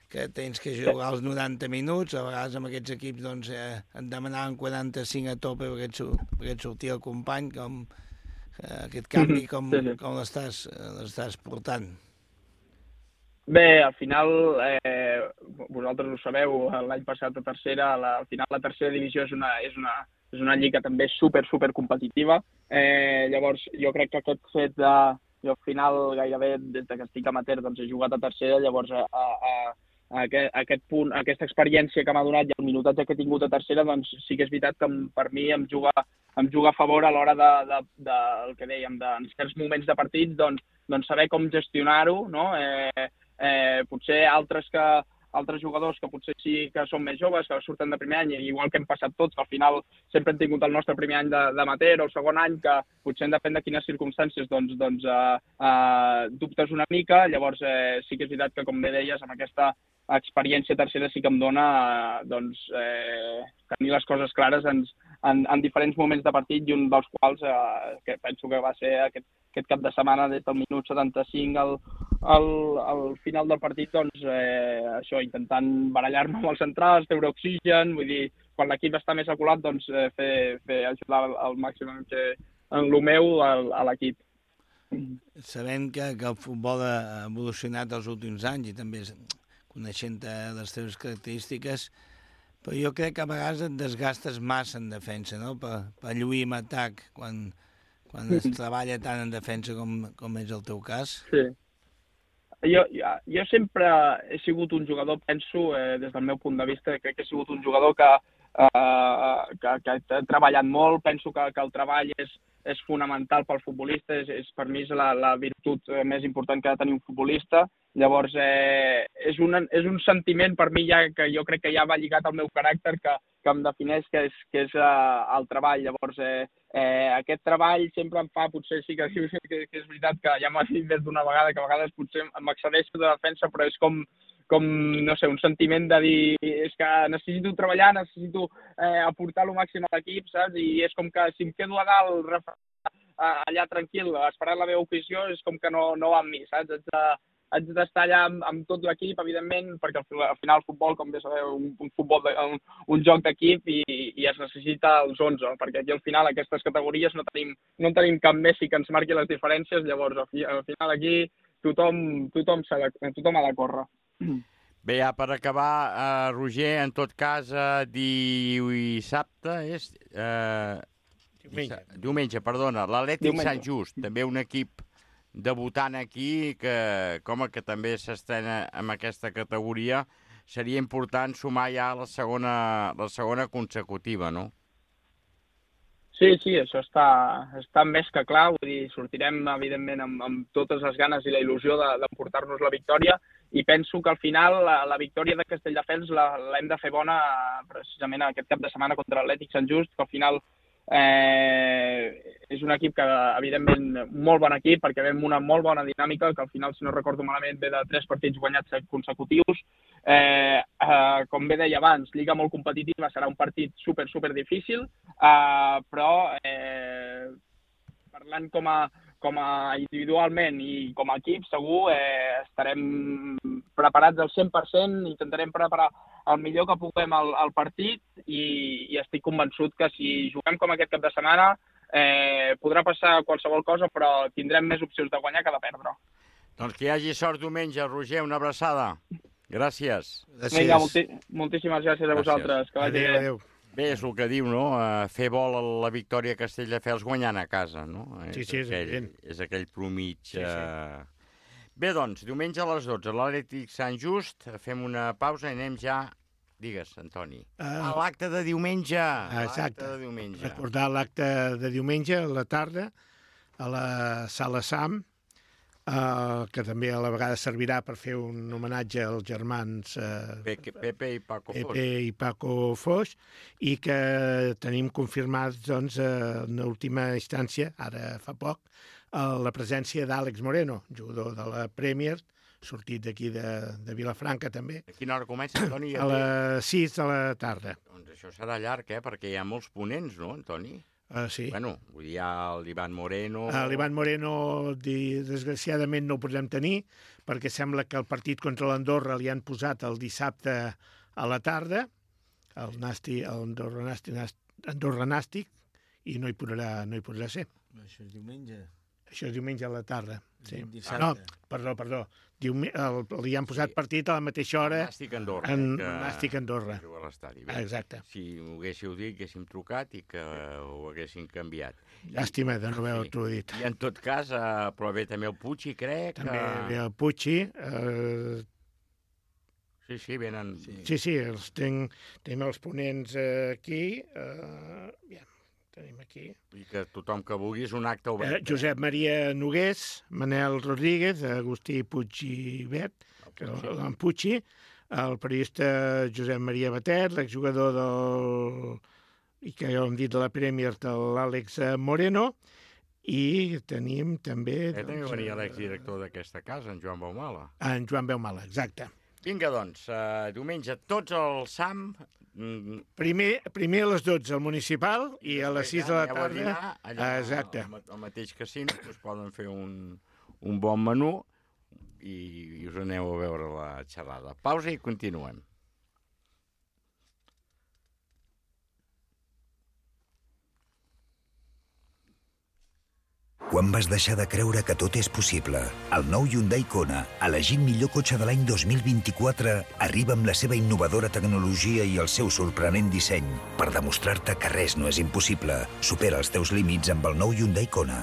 que tens que jugar els noranta minuts. A vegades amb aquests equips doncs, eh, et demanaven quaranta-cinc a tope perquè et, perquè et sortia el company. Com, eh, aquest canvi, com, com l'estàs l'estàs portant? Bé, al final, eh, vosaltres ho sabeu, l'any passat a tercera, la, al final la tercera divisió és una, és una, és una lliga també super, super competitiva. Eh, llavors, jo crec que aquest fet de... Jo al final, gairebé, des que estic amateur, doncs he jugat a tercera, llavors a, a, a, aquest, a aquest punt, a aquesta experiència que m'ha donat i el minutatge que he tingut a tercera, doncs sí que és veritat que per mi em juga, em juga a favor a l'hora de, de, de, el que dèiem, de, en certs moments de partits, doncs, doncs saber com gestionar-ho, no? Eh, Eh, potser altres que altres jugadors que potser sí que són més joves, que surten de primer any, igual que hem passat tots, que al final sempre hem tingut el nostre primer any d'amateur o el segon any, que potser depèn de quines circumstàncies, doncs, doncs eh, eh, dubtes una mica. Llavors eh, sí que és veritat que, com bé deies, amb aquesta experiència tercera sí que em dona eh, doncs, eh, tenir les coses clares en, en, en diferents moments de partit, i un dels quals eh, que penso que va ser aquest, aquest cap de setmana, des del minut setanta-cinc al, al, al final del partit, doncs eh, això, intentant barallar-me amb els centrals, treure oxigen, vull dir, quan l'equip està més aculat, doncs eh, fer, fer ajudar al màxim que, en el meu a, a l'equip. Sabem que, que el futbol ha evolucionat els últims anys i també coneixent les teves característiques, però jo crec que a vegades et desgastes massa en defensa, no? Per, per lluir en atac, quan, quan es treballa tant en defensa com, com és el teu cas. Sí. Jo, jo, jo sempre he sigut un jugador, penso, eh, des del meu punt de vista, crec que he sigut un jugador que, eh, que, que ha treballat molt. Penso que, que el treball és, és fonamental pel futbolista, és, és, per mi és la, la virtut més important que ha de tenir un futbolista. Llavors, eh, és, un, és un sentiment per mi ja que jo crec que ja va lligat al meu caràcter, que, que em defineix, que és, que és uh, el treball. Llavors, eh, eh, aquest treball sempre em fa, potser sí que, que, que és veritat que ja m'ha dit més d'una vegada, que a vegades potser m'excedeixo de defensa, però és com, com, no sé, un sentiment de dir, és que necessito treballar, necessito eh, aportar el màxim a l'equip, saps? I és com que si em quedo a dalt, allà tranquil, esperant la meva ocasió, és com que no, no va amb mi, saps? Haig de, haig d'estar allà amb, amb tot l'equip, evidentment, perquè al final el futbol, com bé sabeu, un, un, futbol de, un, un joc d'equip i, i es necessita els onze, perquè aquí al final aquestes categories no tenim, no tenim cap Messi que ens marqui les diferències, llavors al, fi, al final aquí tothom, tothom, de, tothom ha de córrer. Bé, ja per acabar, eh, Roger, en tot cas, eh, dissabte és... Eh, diumenge. Diumenge, perdona, l'Atlètic Sant Just, també un equip debutant aquí, que com que també s'estrena en aquesta categoria, seria important sumar ja la segona, la segona consecutiva, no? Sí, sí, això està, està més que clar, vull dir, sortirem, evidentment, amb, amb totes les ganes i la il·lusió d'emportar-nos la victòria, i penso que al final la, la victòria de Castelldefels l'hem de fer bona precisament aquest cap de setmana contra l'Atlètic Sant Just, que al final eh, és un equip que, evidentment, molt bon equip, perquè ve amb una molt bona dinàmica, que al final, si no recordo malament, ve de tres partits guanyats consecutius. Eh, eh, com bé deia abans, lliga molt competitiva, serà un partit super, super difícil, eh, però eh, parlant com a, com a individualment i com a equip, segur eh, estarem preparats al cent per cent, intentarem preparar el millor que puguem al, al partit i, i estic convençut que si juguem com aquest cap de setmana eh, podrà passar qualsevol cosa, però tindrem més opcions de guanyar que de perdre. Doncs que hi hagi sort diumenge, Roger, una abraçada. Gràcies. Gràcies. Vinga, molti moltíssimes gràcies a vosaltres. Que vagi bé. Adéu. Bé, és el que diu, no? Uh, fer vol a la victòria a Castelldefels guanyant a casa, no? Sí, sí, és aquell, evident. És aquell promig. Sí, sí. Uh... Bé, doncs, diumenge a les dotze, l'Atlètic Sant Just, fem una pausa i anem ja Digues, Antoni. Uh, ah, l'acte de diumenge. Exacte. L'acte de diumenge. Recordar l'acte de diumenge a la tarda a la Sala Sam, uh, que també a la vegada servirà per fer un homenatge als germans uh, Pepe, Pepe i Paco Foix. Pepe i Paco Foix, i que tenim confirmats, doncs, en última instància, ara fa poc, uh, la presència d'Àlex Moreno, jugador de la Premier, sortit d'aquí de, de Vilafranca, també. A quina hora comença, Antoni? A les sis de la tarda. Doncs això serà llarg, eh? Perquè hi ha molts ponents, no, Antoni? Uh, sí. Bueno, vull dir, hi ha l'Ivan Moreno... Uh, L'Ivan Moreno, di, desgraciadament, no ho podrem tenir, perquè sembla que el partit contra l'Andorra li han posat el dissabte a la tarda, el Nasti, el Andorra Nàstic, Andorra Nàstic, i no hi podrà, no hi podrà ser. Això és diumenge. Això és diumenge a la tarda. Sí. Dissabte. No, perdó, perdó. Diume, el, li han posat sí. partit a la mateixa hora. Nàstic Andorra. En que... Nàstic Andorra. Exacte. Si ho haguéssiu dit, haguéssim trucat i que ho haguéssim canviat. Llàstima de no haver-ho dit. I en tot cas, eh, però bé, també el Puig, crec. També que... ve el Puig. Eh... Sí, sí, venen... Sí, sí, sí els tenc, tenim els ponents aquí. Eh... Ja. Tenim aquí. I que tothom que vulgui és un acte obert. Eh, Josep Maria Nogués, Manel Rodríguez, Agustí Puig i Bet, l'en Puig, el periodista Josep Maria Batet, l'exjugador del... i que ja ho hem dit de la Premier, de l'Àlex Moreno, i tenim també... Eh, també doncs, venia l'exdirector d'aquesta casa, en Joan Baumala. En Joan Baumala, exacte. Vinga, doncs, uh, diumenge tots al S A M... Primer, primer a les dotze al municipal i a les sis de la tarda... Dinar, allà, exacte. Al, al mateix casino, us poden fer un, un bon menú i, i us aneu a veure la xerrada. Pausa i continuem. Quan vas deixar de creure que tot és possible? El nou Hyundai Kona, elegit millor cotxe de l'any dos mil vint-i-quatre, arriba amb la seva innovadora tecnologia i el seu sorprenent disseny per demostrar-te que res no és impossible. Supera els teus límits amb el nou Hyundai Kona.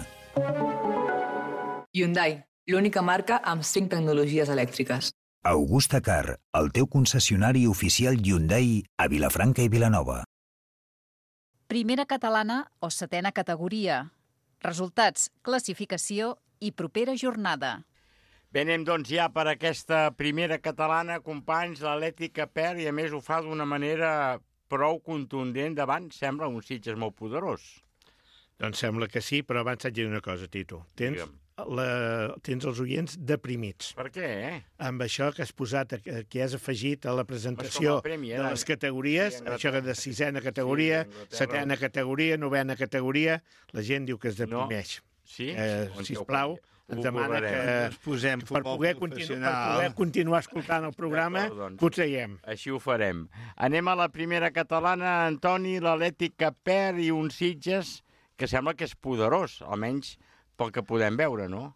Hyundai, l'única marca amb cinc tecnologies elèctriques. Augusta Car, el teu concessionari oficial Hyundai a Vilafranca i Vilanova. Primera catalana o setena categoria. Resultats, classificació i propera jornada. Bé, anem doncs ja per aquesta primera catalana, companys, l'Atlètica perd i a més ho fa d'una manera prou contundent davant, sembla, un Sitges molt poderós. Doncs sembla que sí, però abans haig de dir una cosa, Tito. Tens, la, tens els oients deprimits. Per què, eh? Amb això que has posat, que has afegit a la presentació premi, eh? de les categories, això de sisena categoria, setena categoria, novena categoria, la gent diu que es deprimeix. No. Sí? Eh, sisplau, ens demana que, ens posem per, poder continu, per poder continuar escoltant el programa, doncs, que ho traiem. Així ho farem. Anem a la primera catalana, Antoni, l'Atlètica perd i un Sitges que sembla que és poderós, almenys pel que podem veure, no?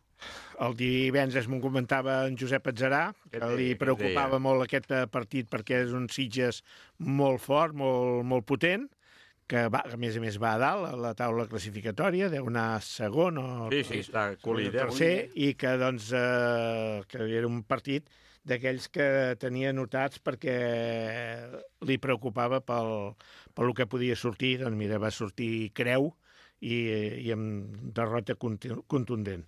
El divendres m'ho comentava en Josep Atzarà, que li preocupava molt aquest partit perquè és un Sitges molt fort, molt, molt potent, que va, a més a més va a dalt a la taula classificatòria, deu anar segon o sí, sí, està colíder, tercer, i que, doncs, eh, que era un partit d'aquells que tenia notats perquè li preocupava pel, pel que podia sortir. Doncs mira, va sortir creu i, i amb derrota contundent.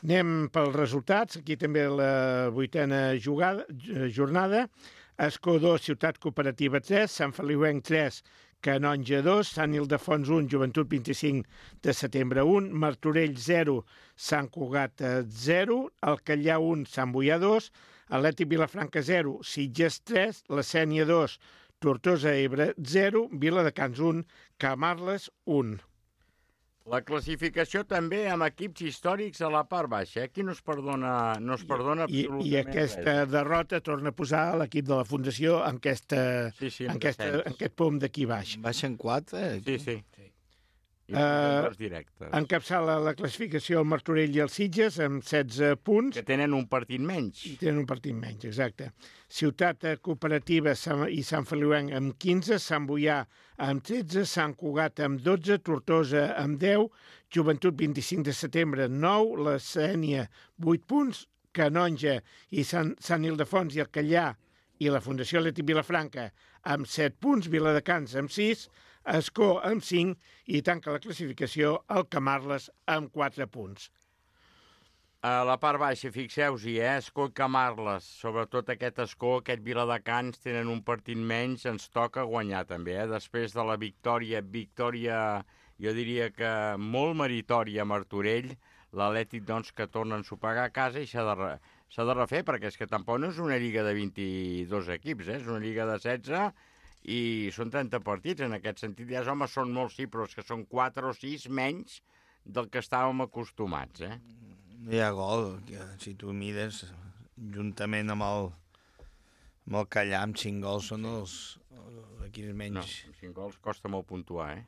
Anem pels resultats. Aquí també la vuitena jugada, jornada. Escó dos, Ciutat Cooperativa tres, Sant Feliuenc tres, Canonja dos, Sant Ildefons un, Joventut vint-i-cinc de setembre un, Martorell zero, Sant Cugat zero, Alcallà un, Sant Boià dos, Atlètic Vilafranca zero, Sitges tres, La Sénia dos, Tortosa Ebre zero, Viladecans un, Camarles un. La classificació també amb equips històrics a la part baixa. Aquí no es perdona, no es perdona I, absolutament I aquesta res. derrota torna a posar l'equip de la Fundació en, aquesta, sí, sí, en, aquesta, en aquest pom d'aquí baix. Baixen quatre? Sí, sí. sí. Uh, directes. Encapçala la classificació el Martorell i el Sitges amb setze punts. Que tenen un partit menys. I tenen un partit menys, exacte. Ciutat Cooperativa i Sant Feliuenc amb quinze, Sant Boià amb tretze, Sant Cugat amb dotze, Tortosa amb deu, Joventut vint-i-cinc de setembre nou, La Sénia vuit punts, Canonja i Sant, Sant Ildefons i Alcallà i la Fundació Atlètic Vilafranca amb set punts, Viladecans amb sis, Escó amb cinc i tanca la classificació el Camarles amb quatre punts. A la part baixa, fixeu-hi, eh? Escó i Camarles, sobretot aquest Escó, aquest Viladecans, tenen un partit menys, ens toca guanyar també, eh? Després de la victòria, victòria, jo diria que molt meritòria a Martorell, l'Atlètic, doncs, que torna a ensopegar a casa i s'ha de, re, s'ha de refer, perquè és que tampoc no és una lliga de vint-i-dos equips, eh? És una lliga de setze i són trenta partits, en aquest sentit. Ja, home, són molts, sí, però és que són quatre o sis menys del que estàvem acostumats, eh? No hi ha gol, que si tu mires, juntament amb el, amb el Callà, amb cinc gols, són els, els equips menys. No, amb cinc gols costa molt puntuar, eh?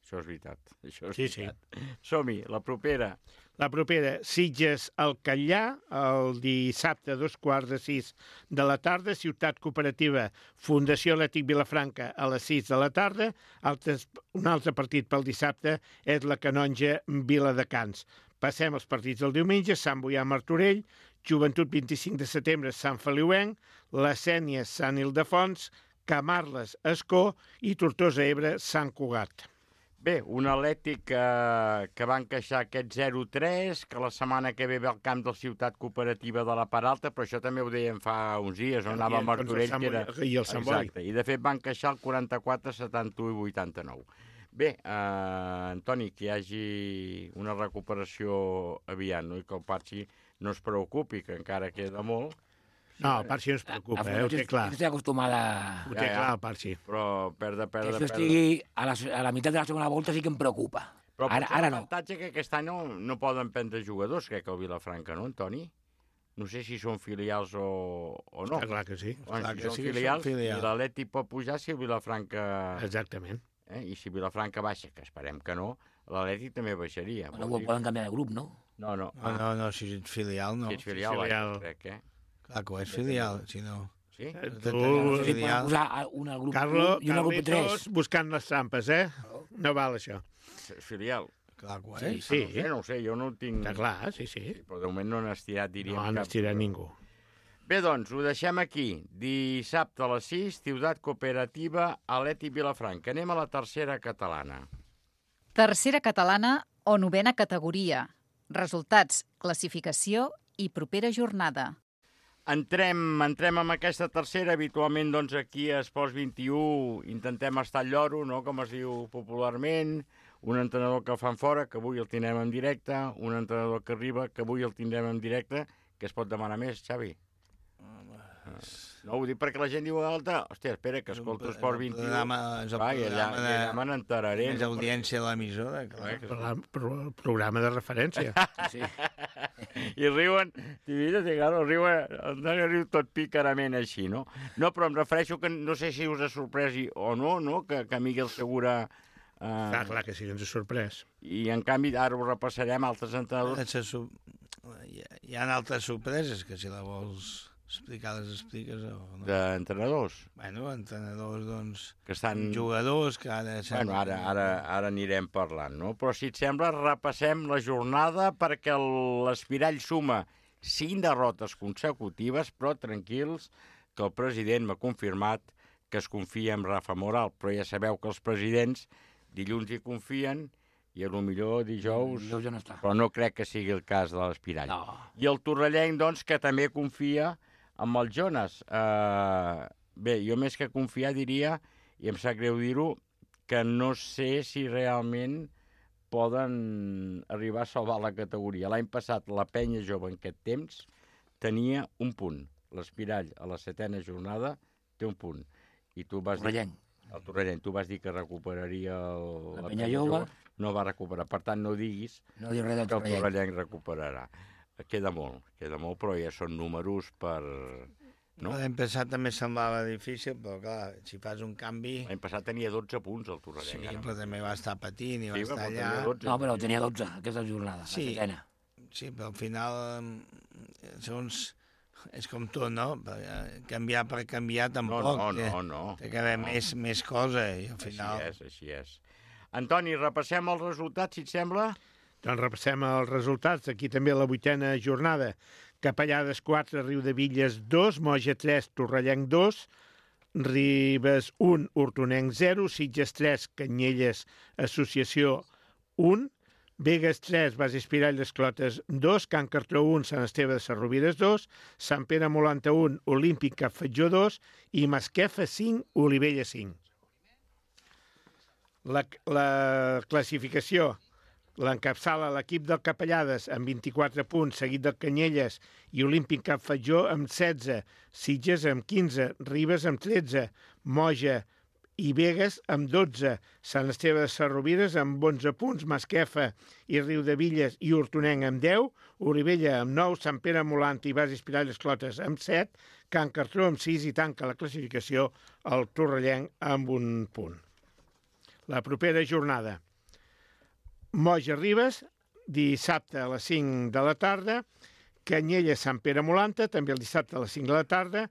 Això és veritat. Això és sí, veritat. sí. Som-hi, la propera. La propera, Sitges al Catllà, el dissabte a dos quarts de sis de la tarda, Ciutat Cooperativa, Fundació Atlètic Vilafranca a les sis de la tarda, altres, un altre partit pel dissabte és la Canonja Viladecans. Passem els partits del diumenge, Sant Boià Martorell, Joventut vint-i-cinc de setembre, Sant Feliuenc, La Sénia, Sant Ildefons, Camarles, Escó i Tortosa Ebre, Sant Cugat. Bé, un Atlètic que, que va encaixar aquest zero tres, que la setmana que ve ve al camp de la Ciutat Cooperativa de la Paralta, però això també ho dèiem fa uns dies, on anava a Martorell, que era... I el Sant Boi. Exacte, i de fet va encaixar el quaranta-quatre, setanta-u i vuitanta-nou. Bé, eh, Antoni, que hi hagi una recuperació aviat, no? I que el Parxi no es preocupi, que encara queda molt. No, el Parxi no es preocupa, eh? Ho té clar. Estic acostumada... Ho té clar, el Parxi. Però perdre, perdre, que això perdre... estigui a la, a la meitat de la segona volta sí que em preocupa. Però ara, ara no. L'avantatge que aquest any no, no poden prendre jugadors, crec que el Vilafranca, no, Antoni? No sé si són filials o, o no. Està clar que sí. Bueno, clar si que són sí, filials, són filials. i l'Atlètic pot pujar si el Vilafranca... Exactament. Eh? I si Vilafranca baixa, que esperem que no, l'Atlètic també baixaria. Bueno, dir... poden canviar de grup, no? No, no. Ah, no, no, si ets filial, no. Si ets filial, si filial. Baixa, crec, eh? Clar que ho és filial, si no... Sí? Tu, filial. Un al grup Carlo, i un al grup tres. buscant les trampes, eh? No val això. Filial. Clar que ho és. Sí, sí. No, ho sé, no ho sé, jo no ho tinc... Està clar, sí, sí. sí però de moment no han estirat, diríem. No han estirat cap... ningú. Bé, doncs, ho deixem aquí. Dissabte a les sis, Ciutat Cooperativa, Atlètic Vilafranca. Anem a la tercera catalana. Tercera catalana o novena categoria. Resultats, classificació i propera jornada. Entrem, entrem amb aquesta tercera. Habitualment, doncs, aquí a Esports vint-i-u intentem estar al lloro, no?, com es diu popularment. Un entrenador que el fan fora, que avui el tindrem en directe. Un entrenador que arriba, que avui el tindrem en directe. Què es pot demanar més, Xavi? No, ho dic perquè la gent diu alta, hòstia, espera, que escolto Esport vint-i-u. Programa, és el Va, programa allà, de... allà me n'enteraré. Més audiència de l'emissora, clar. El pro, programa de referència. Sí. I riuen, i mira, claro, riuen, Antoni riu tot picarament així, no? No, però em refereixo que no sé si us ha sorprès o no, no?, que, que Miguel Segura... Eh... Clar, clar que sí, ens ha sorprès. I, en canvi, ara ho repassarem, altres entrenadors... Hi ha, hi ha altres sorpreses, que si la vols... explicar les expliques o no? D'entrenadors? Bueno, entrenadors, doncs, que estan... jugadors que ara... Bueno, ara, ara, ara anirem parlant, no? Però si et sembla, repassem la jornada perquè l'Espirall suma cinc derrotes consecutives, però tranquils, que el president m'ha confirmat que es confia en Rafa Moral, però ja sabeu que els presidents dilluns hi confien i a lo millor dijous... Dijous ja no està. Però no crec que sigui el cas de l'Espirall. No. I el torrellenc, doncs, que també confia amb el Jonas. Uh, bé, jo més que confiar diria, i em sap greu dir-ho, que no sé si realment poden arribar a salvar la categoria. L'any passat la penya jove en aquest temps tenia un punt. L'Espirall a la setena jornada té un punt. I tu vas Torrellenc. dir... El Torrellenc. Tu vas dir que recuperaria el... la, la penya jove. No va recuperar. Per tant, no diguis no res del que el Torrellenc recuperarà. Queda molt, queda molt, però ja són números per... No? L'any passat també semblava difícil, però clar, si fas un canvi... L'any passat tenia dotze punts el Torrellenc. Sí, però també va estar patint i sí, va estar allà... dotze, no, però tenia dotze, aquesta jornada, sí, la setena. Sí, però al final, segons... És com tot, no? Canviar per canviar tampoc. No, no, no. no. Té que haver no. més, més cosa i al final... Així és, així és. Antoni, repassem els resultats, si et sembla? Doncs repassem els resultats. Aquí també la vuitena jornada. Capellades quatre, Riudevilles dos, Moja tres, Torrellenc dos, Ribes un, Hortonenc zero, Sitges tres, Canyelles Associació un, Begues tres, Base Espirall d'Esclotes dos, Can Cartró un, Sant Esteve de Sarrovires dos, Sant Pere Molanta un, Olímpic Cap Fatjó dos i Masquefa cinc, Olivella cinc. La, la classificació l'encapçala l'equip del Capellades amb vint-i-quatre punts, seguit del Canyelles i Olímpic Cap Fatjó amb setze, Sitges amb quinze, Ribes amb tretze, Moja i Begues amb dotze, Sant Esteve de Sarrovires amb onze punts, Masquefa i Riudevilles i Hortonenc amb deu, Olivella amb nou, Sant Pere Molant i Base Espirall d'Esclotes amb set, Can Cartró amb sis i tanca la classificació el Torrellenc amb un punt. La propera jornada. Moja Ribes, dissabte a les cinc de la tarda, Canyelles Sant Pere Molanta, també el dissabte a les cinc de la tarda,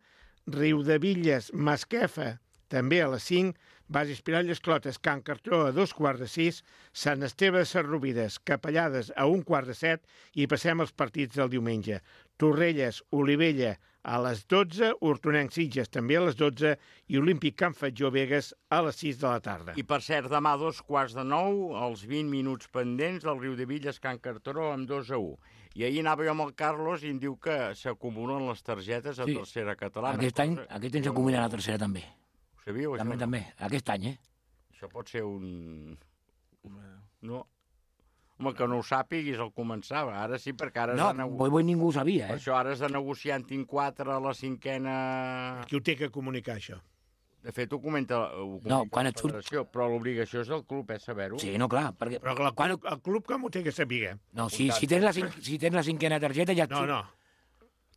Riudevilles Masquefa, també a les cinc, Base Espirall d'Esclotes, Can Cartró a dos quarts de sis, Sant Esteve de Sarrovires, Capellades a un quart de set i passem als partits del diumenge. Torrelles, Olivella a les dotze, Hortonenc Sitges també a les dotze i Olímpic Can Fatjó Begues a les sis de la tarda. I per cert, demà a dos quarts de nou, els vint minuts pendents del Riudevilles Can Cartró amb dos a u. I ahir anava jo amb el Carlos i em diu que s'acumulen les targetes a Sí. tercera catalana. Aquest any, aquest any s'acumula la tercera també. Ho sabíeu, això? També, també. Aquest any, eh? Això pot ser un... No. Home, que no ho sàpiguis al començar. Ara sí, perquè ara... No, has de nego- boi, boi ningú ho sabia, Per eh? això ara has de negociar en tinc quatre a la cinquena... Qui ho té que comunicar, això? De fet, ho comenta, ho comenta No, quan la et surt- federació, però l'obligació és del club, eh, saber-ho. Sí, no, clar, perquè... Però el, Quan... el club com ho té que saber? No, si, si, tens la, cinc- si tens la cinquena targeta ja et No, surt. no.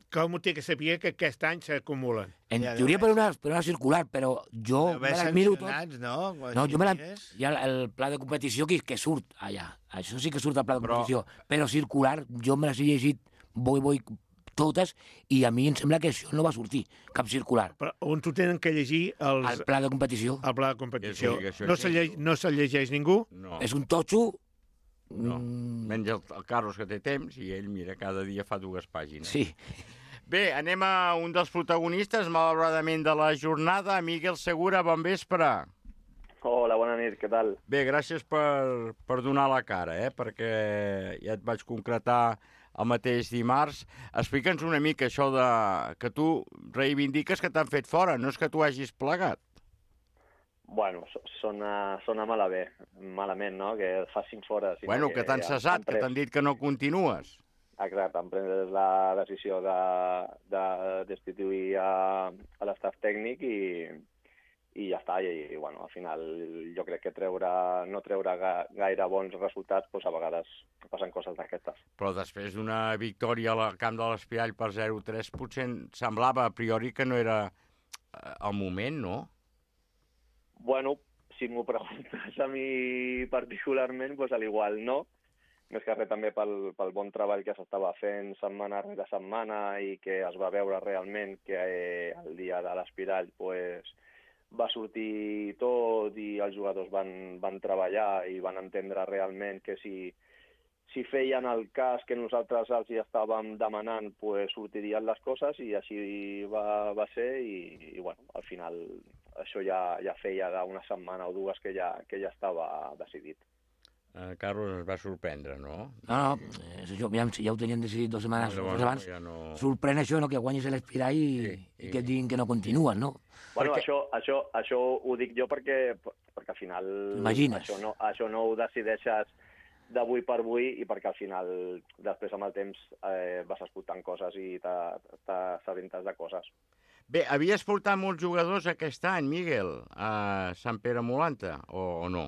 Com ho té que saber que aquest any s'acumulen? En Ja teoria deu per una, per una circular, però jo Haver me les miro tot. sancionats, no? Quan No, jo me la... mires. Hi ha el pla de competició que, que surt allà. Això sí que surt al pla de Però- competició. Però circular, jo me les he llegit boi, boi, totes, i a mi em sembla que això no va sortir, cap circular. Però on t'ho tenen que llegir els... El pla de competició el pla de competició. És obligació No se, lle... no se llegeix ningú? No, és un totxo... no. mm, Menys el, el Carlos, que té temps, i ell, mira, cada dia fa dues pàgines. Sí. Bé, anem a un dels protagonistes, malauradament, de la jornada. Miguel Segura, bon vespre. Hola, bona nit, què tal? Bé, gràcies per, per donar la cara, eh? Perquè ja et vaig concretar el mateix dimarts. Explica'ns una mica això de que tu reivindiques que t'han fet fora, no és que tu hagis plegat. Bueno, so- sona, sona malament, malament, no?, que et facin fora. Sinó Bueno, que t'han han- cessat, han que pres- t'han dit que no continues. Exacte, han pres la decisió de, de destituir a, a l'estaf tècnic i, i ja està. I, i, bueno, al final jo crec que treure, no treure ga, gaire bons resultats, doncs a vegades passen coses d'aquestes. Però després d'una victòria al camp de l'Espirall per zero a tres, potser em semblava a priori que no era eh, el moment, no? Bueno, si m'ho preguntes a mi particularment, doncs a l'igual no. Més que res també pel, pel bon treball que s'estava fent setmana rere setmana i que es va veure realment que eh, el dia de l'Espirall pues, va sortir tot i els jugadors van, van treballar i van entendre realment que si, si feien el cas que nosaltres els hi estàvem demanant, pues, sortirien les coses i així va, va ser i, i bueno, al final això ja, ja feia d'una setmana o dues que ja, que ja estava decidit. Eh, Carlos es va sorprendre, no? No, no, és això, ja, ja ho tenien decidit dues setmanes Llavors, abans. ja no... Sorprèn això, no?, que guanyis l'Espirall i, Sí, i i- que et diguin que no continues, no? Bueno, Perquè- això, això, això ho dic jo perquè, perquè al final Imagines. això no, això no ho decideixes d'avui per avui i perquè al final després amb el temps eh, vas escoltant coses i t'assabentes de coses. Bé, havies portat molts jugadors aquest any, Miguel, a Sant Pere Molanta, o, o no?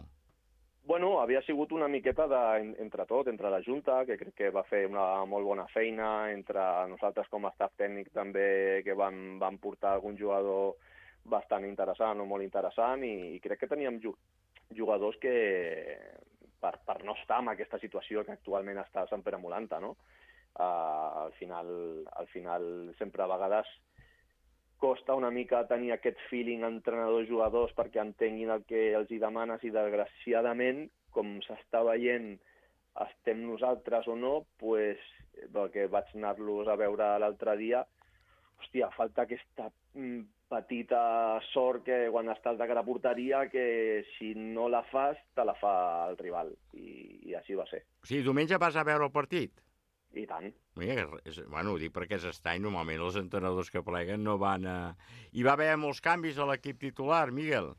Bueno, havia sigut una miqueta de, entre tot, entre la Junta, que crec que va fer una molt bona feina, entre nosaltres com a staff tècnic també, que vam, vam portar algun jugador bastant interessant o molt interessant, i, i crec que teníem ju jugadors que, per, per no estar en aquesta situació que actualment està a Sant Pere Molanta, no? Uh, al, final, al final, sempre a vegades costa una mica tenir aquest feeling entrenadors-jugadors perquè entenguin el que els hi demanes i, desgraciadament, com s'està veient estem nosaltres o no, pues, perquè vaig anar-los a veure l'altre dia, hòstia, falta aquesta petita sort que quan estàs de cara a porteria, que si no la fas, te la fa el rival, i, i així va ser. O sigui, diumenge vas a veure el partit? I tant. Mira, és, bueno, ho dic perquè és estrany, normalment els entrenadors que pleguen no van a... Hi va haver molts canvis a l'equip titular, Miguel?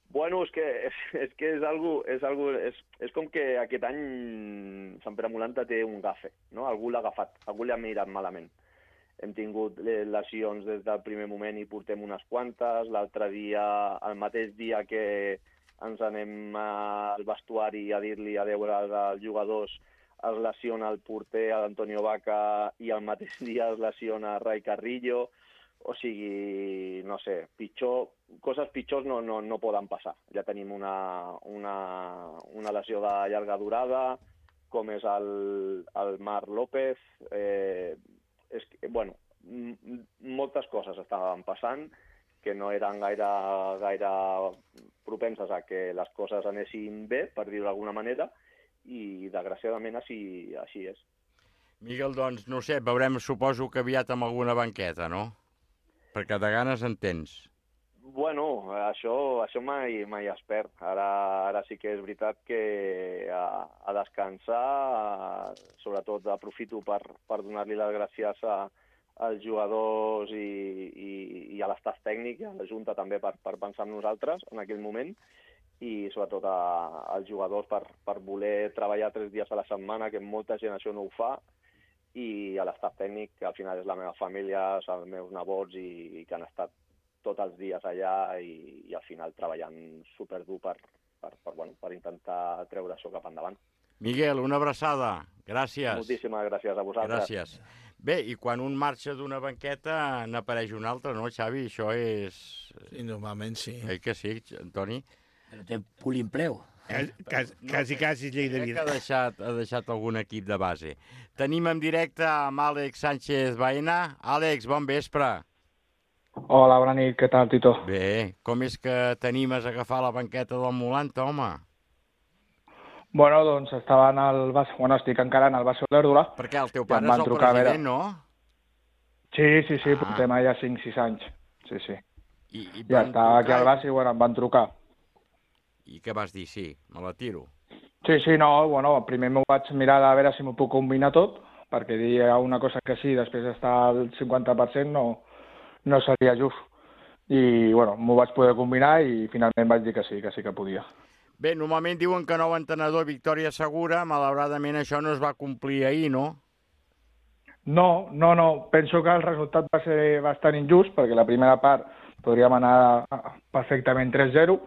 Bueno, és que és, és, que és, algo, és, algo, és, és com que aquest any Sant Pere Molanta té un gafe, no? Algú l'ha agafat, algú l'ha mirat malament. Hem tingut lesions des del primer moment i portem unes quantes. L'altre dia, el mateix dia que ens anem al vestuari a dir-li adeu als jugadors, es lesiona el porter, l'Antonio Vaca, i al mateix dia es lesiona Rai Carrillo. O sigui, no sé, pitjor, coses pitjors no, no, no poden passar. Ja tenim una, una, una lesió de llarga durada, com és el, el Marc López. Eh, és que, bueno, moltes coses estaven passant que no eren gaire, gaire propenses a que les coses anessin bé, per dir-ho d'alguna manera, i desgraciadament així, així és. Miguel, doncs, no sé, veurem, suposo que aviat amb alguna banqueta, no? Perquè de ganes en tens. Bueno, això, això mai, mai es perd. Ara, ara sí que és veritat que a, a descansar, a, sobretot aprofito per, per donar-li les gràcies a, als jugadors i, i, i a l'estaf tècnic, i a la Junta també per, per pensar en nosaltres en aquell moment, i sobretot a, als jugadors per, per voler treballar tres dies a la setmana, que molta gent això no ho fa, i a l'estaf tècnic, que al final és la meva família, els meus nebots, i, i que han estat tots els dies allà i, i al final treballant superdur per, per, per, bueno, per intentar treure això cap endavant. Miguel, una abraçada. Gràcies. Moltíssimes gràcies a vosaltres. Gràcies. Bé, i quan un marxa d'una banqueta n'apareix un altre, no, Xavi? Això és... Sí, normalment sí. Eh que sí, Antoni? Però té polimpleu. Quasi, quasi, quasi llei de vida. Ha deixat, ha deixat algun equip de base. Tenim en directe amb Àlex Sánchez Baena. Àlex, bon vespre. Hola, bona nit, què tal, Tito? Bé, com és que t'animes a agafar la banqueta del Molanta, home? Bueno, doncs estava en el base, bueno, estic encara en el base d'Erdula. Perquè el teu pare és el president, no? Sí, sí, sí, ah. portem ja cinc sis anys. Sí, sí. I, i ja estava aquí al base i, bueno, em van trucar. I què vas dir? Sí, me la tiro. Sí, sí, no, bueno, primer m'ho vaig mirar a veure si m'ho puc combinar tot, perquè dir una cosa que sí, després estar al cinquanta per cent no, no seria just. I, bueno, m'ho vaig poder combinar i finalment vaig dir que sí, que sí que podia. Bé, normalment diuen que nou entrenador, victòria segura. Malauradament això no es va complir ahir, no? No, no, no. Penso que el resultat va ser bastant injust, perquè la primera part podríem anar perfectament tres zero,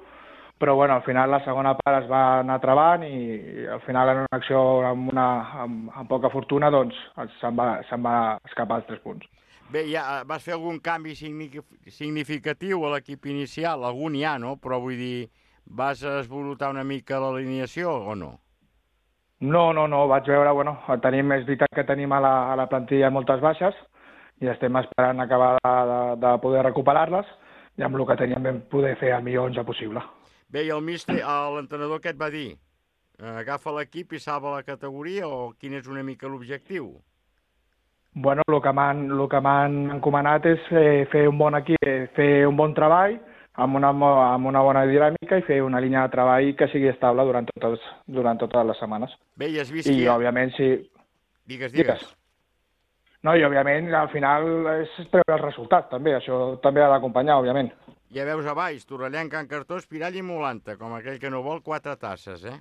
però bueno, al final la segona part es va anar travant i al final en una acció amb, una, amb, amb poca fortuna doncs se'n va, se'n va escapar els tres punts. Bé, ja vas fer algun canvi significatiu a l'equip inicial? Algun hi ha, no? Però vull dir, vas esvolutar una mica l'alineació o no? No, no, no, vaig veure, bueno, tenim, és veritat que tenim a la, a la plantilla moltes baixes i estem esperant acabar de, de, de poder recuperar-les i amb el que teníem vam poder fer el millor onze possible. Bé, i el míster, l'entrenador què et va dir? Agafa l'equip i salva la categoria o quin és una mica l'objectiu? Bueno, el que m'han el que m'han encomanat és fer, fer un bon equip, fer un bon treball amb una, amb una bona dinàmica i fer una línia de treball que sigui estable durant totes, durant totes les setmanes. Bé, i has vist I, que... òbviament, sí... Digues, digues. No, i òbviament, al final és treure els resultats, també. Això també ha d'acompanyar, òbviament. Ja veus a baix, Torrellà, Can Cartó, Espirall i Molanta, com aquell que no vol quatre tasses, eh?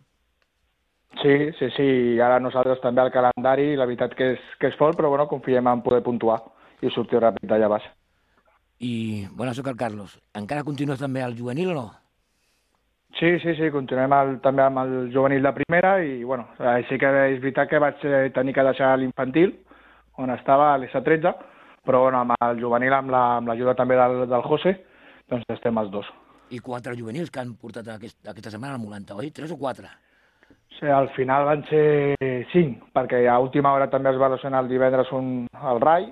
Sí, sí, sí. Ara nosaltres també al calendari, la veritat que és, que és fort, però bueno, confiem en poder puntuar i sortir ràpid d'allà baix. I, bueno, soc el Carlos. Encara continues també al juvenil o no? Sí, sí, sí, continuem el, també amb el juvenil de primera i, bueno, sí que és veritat que vaig tenir que deixar l'infantil, on estava a l'S tretze, però bueno, amb el juvenil, amb l'ajuda la, també del, del José, doncs estem els dos. I quatre juvenils que han portat aquest, aquesta setmana al Molanta, oi? Tres o quatre? Sí, al final van ser cinc, perquè a última hora també es va lesionar el divendres un, el Rai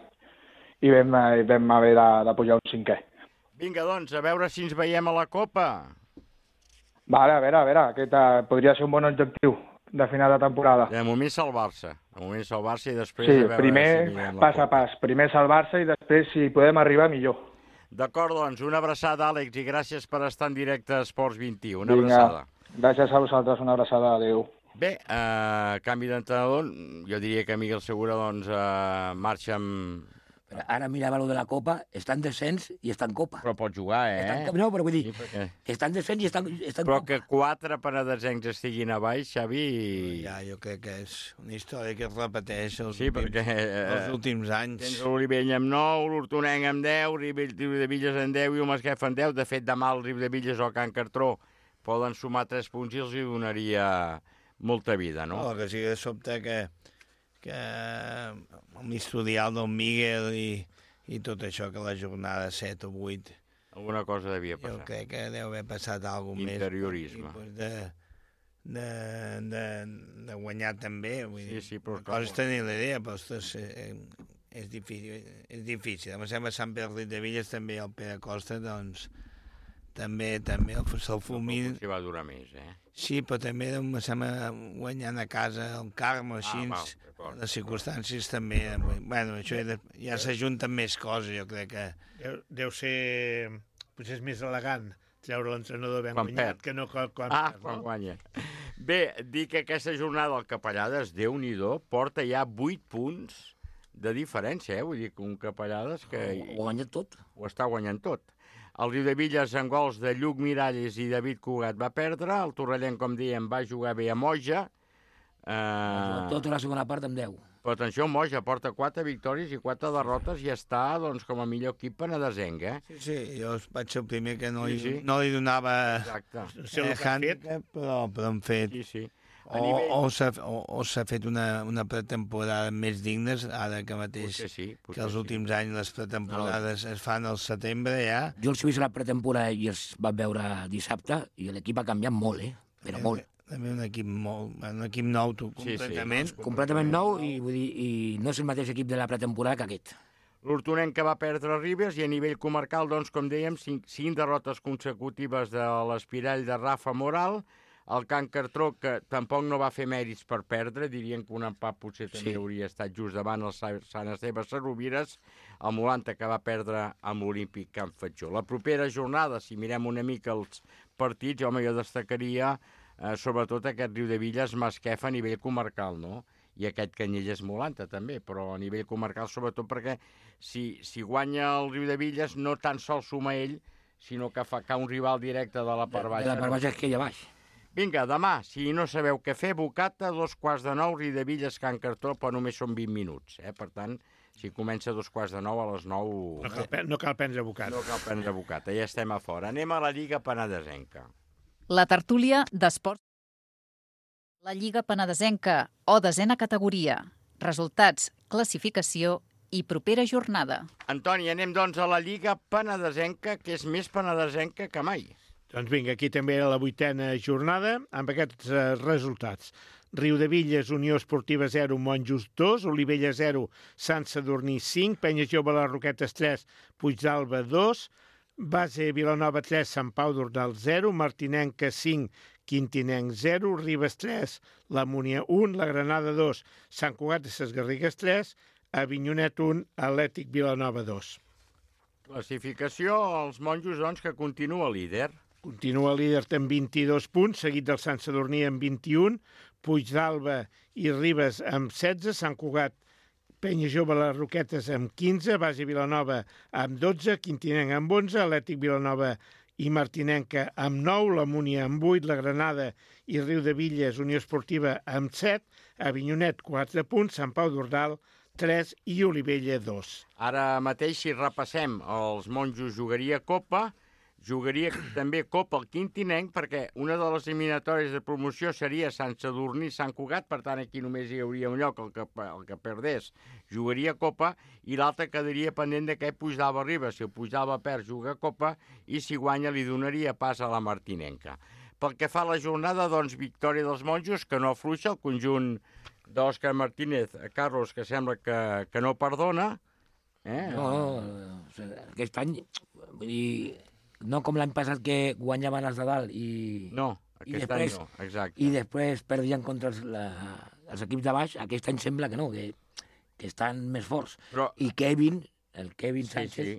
i vam, vam haver de, de pujar un cinquè. Vinga, doncs, a veure si ens veiem a la Copa. Vale, a veure, a veure, aquest uh, podria ser un bon objectiu. de final de temporada. De moment salvar-se. De moment salvar-se i després... Sí, a veure primer si mirem la pas a Copa. pas. Primer salvar-se i després, si podem arribar, millor. D'acord, doncs, una abraçada, Àlex, i gràcies per estar en directe a Esports vint i u. Una Vinga. abraçada. Gràcies a vosaltres, una abraçada. Adéu. Bé, eh, canvi d'entrenador, jo diria que Miguel Segura doncs, eh, marxa amb... Però ara mirava lo de la Copa, està en descens i està en Copa. Però pot jugar, eh? Està en... No, però vull dir, Sí, perquè... està en descens i està, està en Però Copa. que quatre penedesencs estiguin a baix, Xavi... Ja, jo crec que és una història que es repeteix els, Sí, últims, perquè, eh, els últims anys. Tens l'Olivella amb nou, l'Hortonenc amb deu, Riu de Villes amb deu i el Masquef amb deu. De fet, demà el Riu de Villes o el Can Cartró poden sumar tres punts i els hi donaria molta vida, no? No, que sí que sobte que, que amb l'historial del Miguel i, i tot això, que la jornada set o vuit... Alguna cosa devia Jo passar. crec que deu haver passat alguna més. Interiorisme. I, de, de, de, de guanyar també. Vull Sí, dir, sí, però una cosa és tenir la idea, però ostres, eh, és difícil. És difícil. Em sembla Sant Pere de Villes també, el Pere Costa, doncs, també, també el, el Fulmin... No, si va durar més, eh? Sí, però també em sembla guanyant a casa el Carme, així, Ah, val, d'acord. les circumstàncies també. Bueno, això ja, ja s'ajunten més coses, jo crec que... Deu, deu ser... Potser és més elegant treure l'entrenador ben Quan guanyat perd. que no quan, quan Ah, perd, quan no? guanya. Bé, dic que aquesta jornada del Capellades, Déu-n'hi-do, porta ja vuit punts de diferència, eh? Vull dir que un Capellades que... Ho ha guanyat tot. Ho està guanyant tot. El Riu de Villes, en gols de Lluc Miralles i David Cugat, va perdre. El Torrellent, com dèiem, va jugar bé a Moja. Eh... Tota la segona part amb deu. Però atenció, Moja porta quatre victòries i quatre derrotes i està, doncs, com a millor equip penedesenc, eh? Sí, sí, jo vaig ser el primer que no, Sí, li, sí. no li donava Exacte. sé el eh, que han fet. handicap, però, però han fet... Sí, sí. A O, nivell- o s'ha o, o s'ha fet una, una pretemporada més dignes, ara que mateix, Potser sí, potser que els sí. últims anys les pretemporades es fan al setembre ja. Jo els he vist a la pretemporada i els vaig veure dissabte i l'equip ha canviat molt, eh? Però molt. També un equip molt, un equip nou tu, Sí, sí. completament. Completament nou i, vull dir, i no és el mateix equip de la pretemporada que aquest. L'Hortonenc que va perdre Ribes i a nivell comarcal, doncs, com dèiem, cinc, cinc derrotes consecutives de l'Espirall de Rafa Moral, el Can Cartró, que tampoc no va fer mèrits per perdre, dirien que un empat potser també Sí. hauria estat just davant el Sa- Sant Esteve Sarrovires, el Molanta que va perdre amb l'Olímpic Can Fatjó. La propera jornada, si mirem una mica els partits, home, jo destacaria eh, sobretot aquest Riu de Villes Masquef a nivell comarcal, no? I aquest Canyelles Molanta també, però a nivell comarcal sobretot perquè si, si guanya el Riu de Villes no tan sols suma ell, sinó que fa que un rival directe de la part De baixa. la part baixa que hi ha baix. Vinga, demà, si no sabeu què fer, Bocata, dos quarts de nou, Riu de Villes, Can Cartró, però només són vint minuts, eh? Per tant, si comença a dos quarts de nou, a les nou... No cal, pre- no cal prendre bocat. No cal prendre Bocata, ja estem a fora. Anem a la Lliga Penedesenca. La tertúlia d'esports. La Lliga Penedesenca, o desena categoria. Resultats, classificació i propera jornada. Antoni, anem doncs a la Lliga Penedesenca, que és més penedesenca que mai. Doncs vinga, aquí també era la vuitena jornada, amb aquests eh, resultats. Riu de Villes, Unió Esportiva zero, Monjos dos, Olivella zero, Sant Sadurní cinc, Penya Jove Les Roquetes tres, Puigdalba dos, Base Vilanova tres, Sant Pau d'Ordal zero, Martinenca cinc, Quintinenc zero, Ribes tres, La Múnia un, La Granada dos, Sant Cugat de Ses Garrigues tres, Avinyonet un, Atlètic Vilanova dos. Classificació, els monjos, doncs, que continua líder. Continua líder amb vint-i-dos punts, seguit del Sant Sadurní amb vint-i-un, Puigdalba i Ribes amb setze, Sant Cugat, Penya Jove Les Roquetes amb quinze, Base Vilanova amb dotze, Quintinenc amb onze, Atlètic Vilanova i Martinenca amb nou, La Múnia amb vuit, La Granada i Riu de Villes, Unió Esportiva amb set, Avinyonet quatre punts, Sant Pau d'Ordal tres i Olivella dos. Ara mateix, si repassem, els monjos jugaria Copa, jugaria també Copa al Quintinenc, perquè una de les eliminatòries de promoció seria Sant Sadurní, Sant Cugat, per tant aquí només hi hauria un lloc, el que, el que perdés jugaria Copa, i l'altre quedaria pendent d'aquest Puigdalba Ribes. Si el Puigdalba perd, juga Copa, i si guanya li donaria pas a la Martinenca. Pel que fa a la jornada, doncs, victòria dels monjos, que no afluixa, el conjunt d'Òscar Martínez, Carlos, que sembla que, que no perdona. Eh? No, no, aquest any, vull dir, no com l'any passat que guanyaven els de dalt i... No, I Aquest després, any no, exacte. I després perdien contra els, la, els equips de baix. Aquest any sembla que no, que, que estan més forts. Però... I Kevin, el Kevin Sí, Sánchez, sí,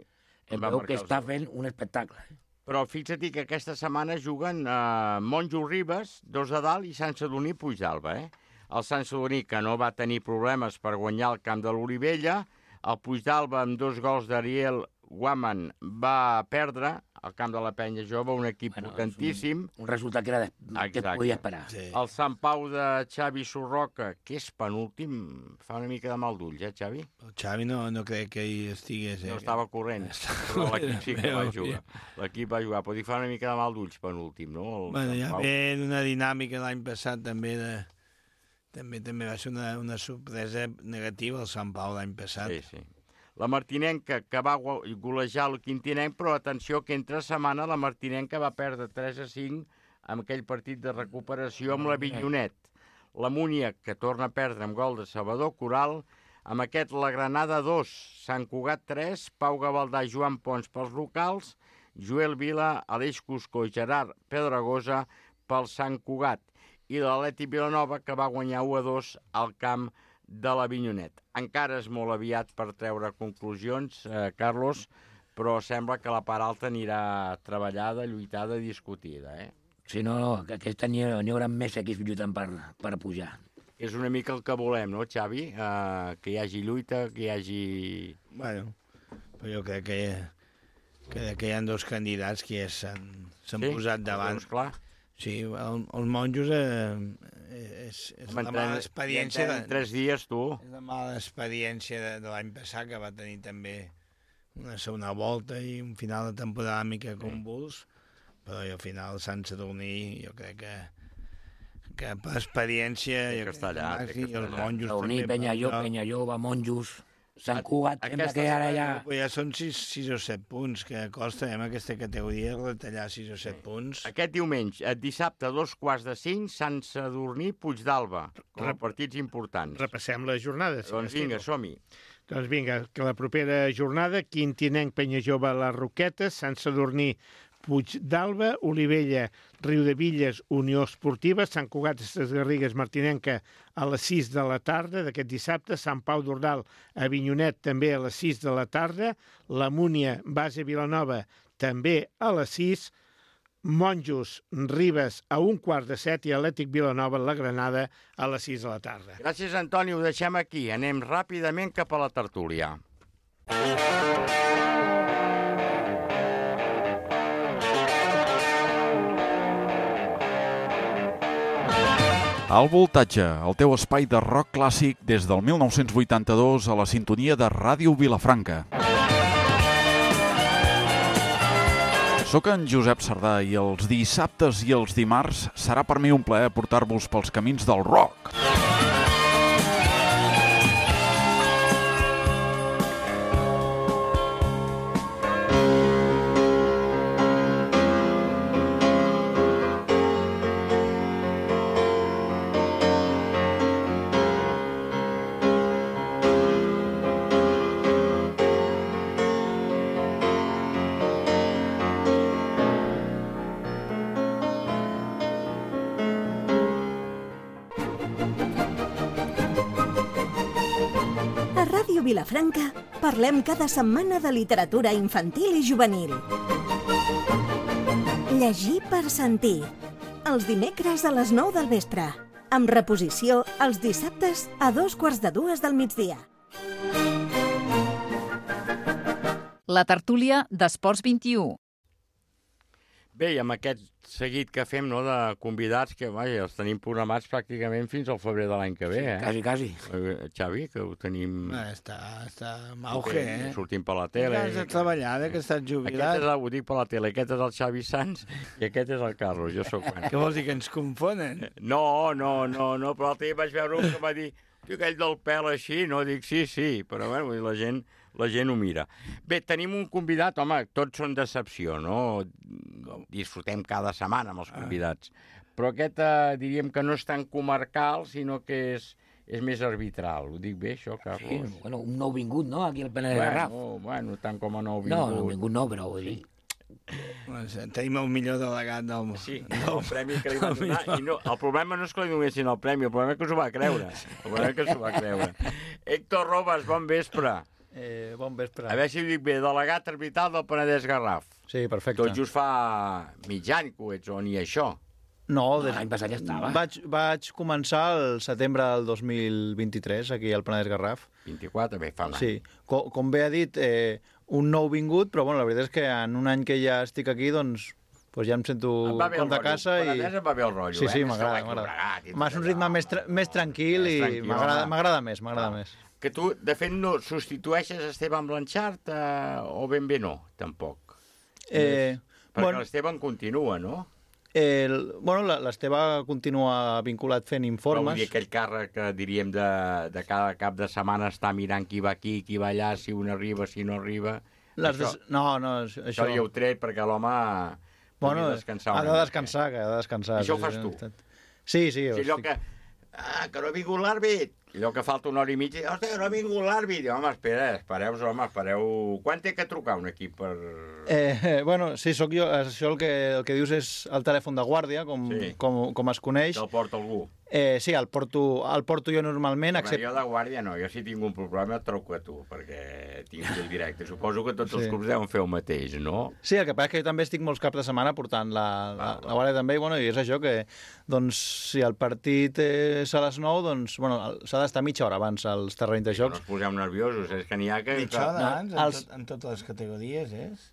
em va veu marcar que els està gols. fent un espectacle. Però fixa't que aquesta setmana juguen eh, Monjo Ribes, dos de dalt, i Sant Sadurní Puigdàlber. Eh? El Sant Sadurní, que no va tenir problemes per guanyar el camp de l'Olivella, el Puigdàlber, amb dos gols d'Ariel Guaman, va perdre al camp de la Penya Jove, un equip bueno, potentíssim. Un, un resultat que, era de, que es podia esperar. Sí. El Sant Pau de Xavi Sorroca, que és penúltim, fa una mica de mal d'ulls, eh, Xavi? El Xavi no, no crec que hi estigués. Eh? No estava corrent, però l'equip sí que va jugar. L'equip va jugar, però hi fa una mica de mal d'ulls penúltim, no? El bueno, ja ve una dinàmica l'any passat també de... També també va ser una, una sorpresa negativa el Sant Pau l'any passat. Sí, sí. La Martinenca, que va golejar el Quintinenc, però atenció que entre setmana la Martinenca va perdre tres a cinc amb aquell partit de recuperació amb l'Avinyonet. La Múnia, que torna a perdre amb gol de Salvador Coral, amb aquest la Granada dos, Sant Cugat tres, Pau Gavaldà, Joan Pons pels locals, Joel Vila, Aleix Cusco i Gerard Pedragosa pel Sant Cugat, i l'Atlètic Vilanova, que va guanyar u a dos al camp de l'Avinyonet. Encara és molt aviat per treure conclusions, eh, Carlos, però sembla que la part alta anirà treballada, lluitada, discutida, eh? Sí, no, no, que aquest any n'hi haurà més equips lluitant per, per pujar. És una mica el que volem, no, Xavi? Eh, que hi hagi lluita, que hi hagi... Bueno, però jo crec que, que, que hi ha dos candidats que ja s'han sí? posat davant. Doncs clar. Sí, el, els monjos eh, és, és la mala experiència... De, tres dies, tu. És la mala experiència de, de l'any passat, que va tenir també una segona volta i un final de temporada mica convuls, però al final Sant Sadurní jo crec que, que per experiència... Té que estar allà, té que estar allà. Sadurní, Penyalló, Penyallova, Monjos... Sant Cugat, sembla que ara ja... Ja són sis, sis o set punts, que costa en aquesta categoria retallar sis o set punts. Aquest diumenge, el dissabte, a dos quarts de cinc, Sant Sadurní, Puigdàlber, com a partits importants. Repassem la jornada. Si doncs vinga, som-hi. Doncs vinga, que la propera jornada, Quintinenc, Penyajove, Les Roquetes, Sant Sadurní, Puigdàlber, Olivella, Riudevilles, Unió Esportiva, Sant Cugat, Ses Garrigues, Martinenca a les sis de la tarda d'aquest dissabte, Sant Pau d'Ordal, Avinyonet també a les sis de la tarda, la Múnia, Base Vilanova també a les sis, Monjos, Ribes a un quart de set i Atlètic Vilanova, la Granada a les sis de la tarda. Gràcies, Antoni, ho deixem aquí. Anem ràpidament cap a la tertúlia. Al Voltatge, el teu espai de rock clàssic des del mil nou-cents vuitanta-dos a la sintonia de Ràdio Vilafranca. Soc en Josep Sardà i els dissabtes i els dimarts serà per mi un plaer portar-vos pels camins del rock. Vilafranca, parlem cada setmana de literatura infantil i juvenil. Llegir per sentir. Els dimecres a les nou del vespre. Amb reposició els dissabtes a dos quarts de dues del migdia. La tertúlia d'Esports vint-i-u. Bé, i amb aquest seguit que fem, no, de convidats, que vaja, els tenim programats pràcticament fins al febrer de l'any que ve, eh? Quasi, quasi. Eh, Xavi, que ho tenim... Ah, està, està en auge, eh? Sortim per la tele. Has de treballar, eh, que estàs jubilat. Aquest és, ho dic per la tele, aquest és el Xavi Sanz i aquest és el Carlos, jo sóc... Què vols dir, que ens confonen? No, no, no, no, però l'altre dia vaig veure un que va dir, tio, aquell del pèl així, no? Dic, sí, sí, però bueno, la gent... la gent ho mira. Bé, tenim un convidat, home, tots són decepció, no? Disfrutem cada setmana amb els convidats. Però aquest eh, diríem que no és tan comarcal, sinó que és, és més arbitral. Ho dic bé, això, Carlos? Sí, bueno, un nou vingut, no?, aquí al Penedès de Garraf. Bueno, bueno, tant com a nou vingut. No, nou vingut no, però vull dir... Tenim el millor delegat del... Sí, el premi que li van donar. I no, el problema no és que li donessin el premi, el problema és que s'ho va creure. El problema és que s'ho va creure. Héctor Robes, bon vespre. Eh, bon vespre. A veure si ho dic bé, delegat arbitral del Penedès Garraf. Sí, perfecte. Tot just fa mig any que ho ets, o ni això. No, des... l'any passat ja estava. Vaig, vaig començar el setembre del dos mil vint-i-tres, aquí al Penedès Garraf. vint-i-quatre, bé, fa un any. Sí, com, com bé ha dit, eh, un nou vingut, però bueno, la veritat és que en un any que ja estic aquí, doncs, doncs ja em sento com de casa. I... Penedès em va bé el rotllo, sí, sí, eh? m'agrada, m'agrada. M'has un ritme més, tra més tranquil i m'agrada més, m'agrada més. Que tu, de fet, no substitueixes Esteban Blanchard eh, o ben bé no, tampoc? Eh, Perquè bueno, l'Esteban continua, no? El, bueno, l'Esteve continua vinculat fent informes. Però vull dir, aquell càrrec que diríem de, de cada cap de setmana està mirant qui va aquí, qui va allà, si un arriba, si no arriba... Les això, des... No, no, això... Això ja ho tret perquè l'home bueno, pugui descansar ha de descansar, que ha de descansar. Això ho fas tu? Sí, sí. Si allò que... Ah, que no ha vingut l'àrbit. Allò que falta una hora i mitja, hòstia, no ha vingut l'àrbit. Home, espera, espereu, home, espereu... Quan té que trucar un equip per... Eh, bueno, sí, sóc jo. Això el que, el que dius és el telèfon de guàrdia, com, sí. com, com es coneix. Te'l porta algú. Eh, sí, el porto, el porto jo normalment. Però except... jo de guàrdia no, jo si tinc un problema et truco a tu, perquè tinc el directe. Suposo que tots sí. els clubs deuen fer el mateix, no? Sí, el que passa és que jo també estic molts caps de setmana portant la, la, ah, la guàrdia també, i, bueno, i és això que, doncs, si el partit és a les nou, doncs, bueno, s'ha d'estar mitja hora abans als terrenys de jocs. No us poseu nerviosos, és que n'hi ha que... Mitja hora abans, no, els... en, tot, en totes les categories, és?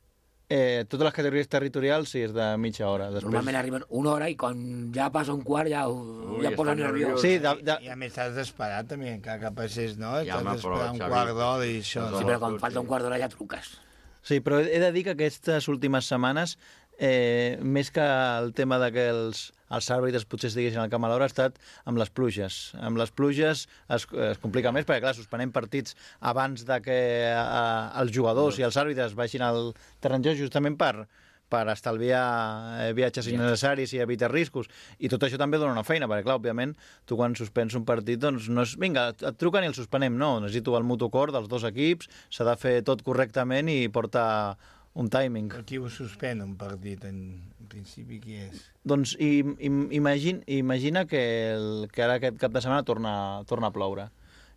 Eh, totes les categories territorials sí, és de mitja hora. Després... Normalment arriben una hora i quan ja passa un quart ja, Ui, ja posa nerviós. Sí, de, de... I a més t'has d'esperar també, encara que passés, no? Ja t'has d'esperar un quart d'hora i això. Sí, però quan falta un quart d'hora ja truques. Sí, però he de dir que aquestes últimes setmanes, eh, més que el tema de que els, els àrbitres potser estiguessin al camp a l'hora, ha estat amb les pluges. Amb les pluges es, es complica més, perquè clar, suspenem partits abans de que eh, els jugadors i els àrbitres vagin al terreny de joc justament per, per estalviar eh, viatges innecessaris i evitar riscos. I tot això també dona una feina, perquè clar, òbviament, tu quan suspens un partit, doncs no és, vinga, et truquen i el suspenem, no, necessito el mutu acord dels dos equips, s'ha de fer tot correctament i portar un timing. Però qui ho suspèn un partit, en, en principi, qui és? Doncs i, i, imagine, imagina que, el, que ara aquest cap de setmana torna, torna a ploure.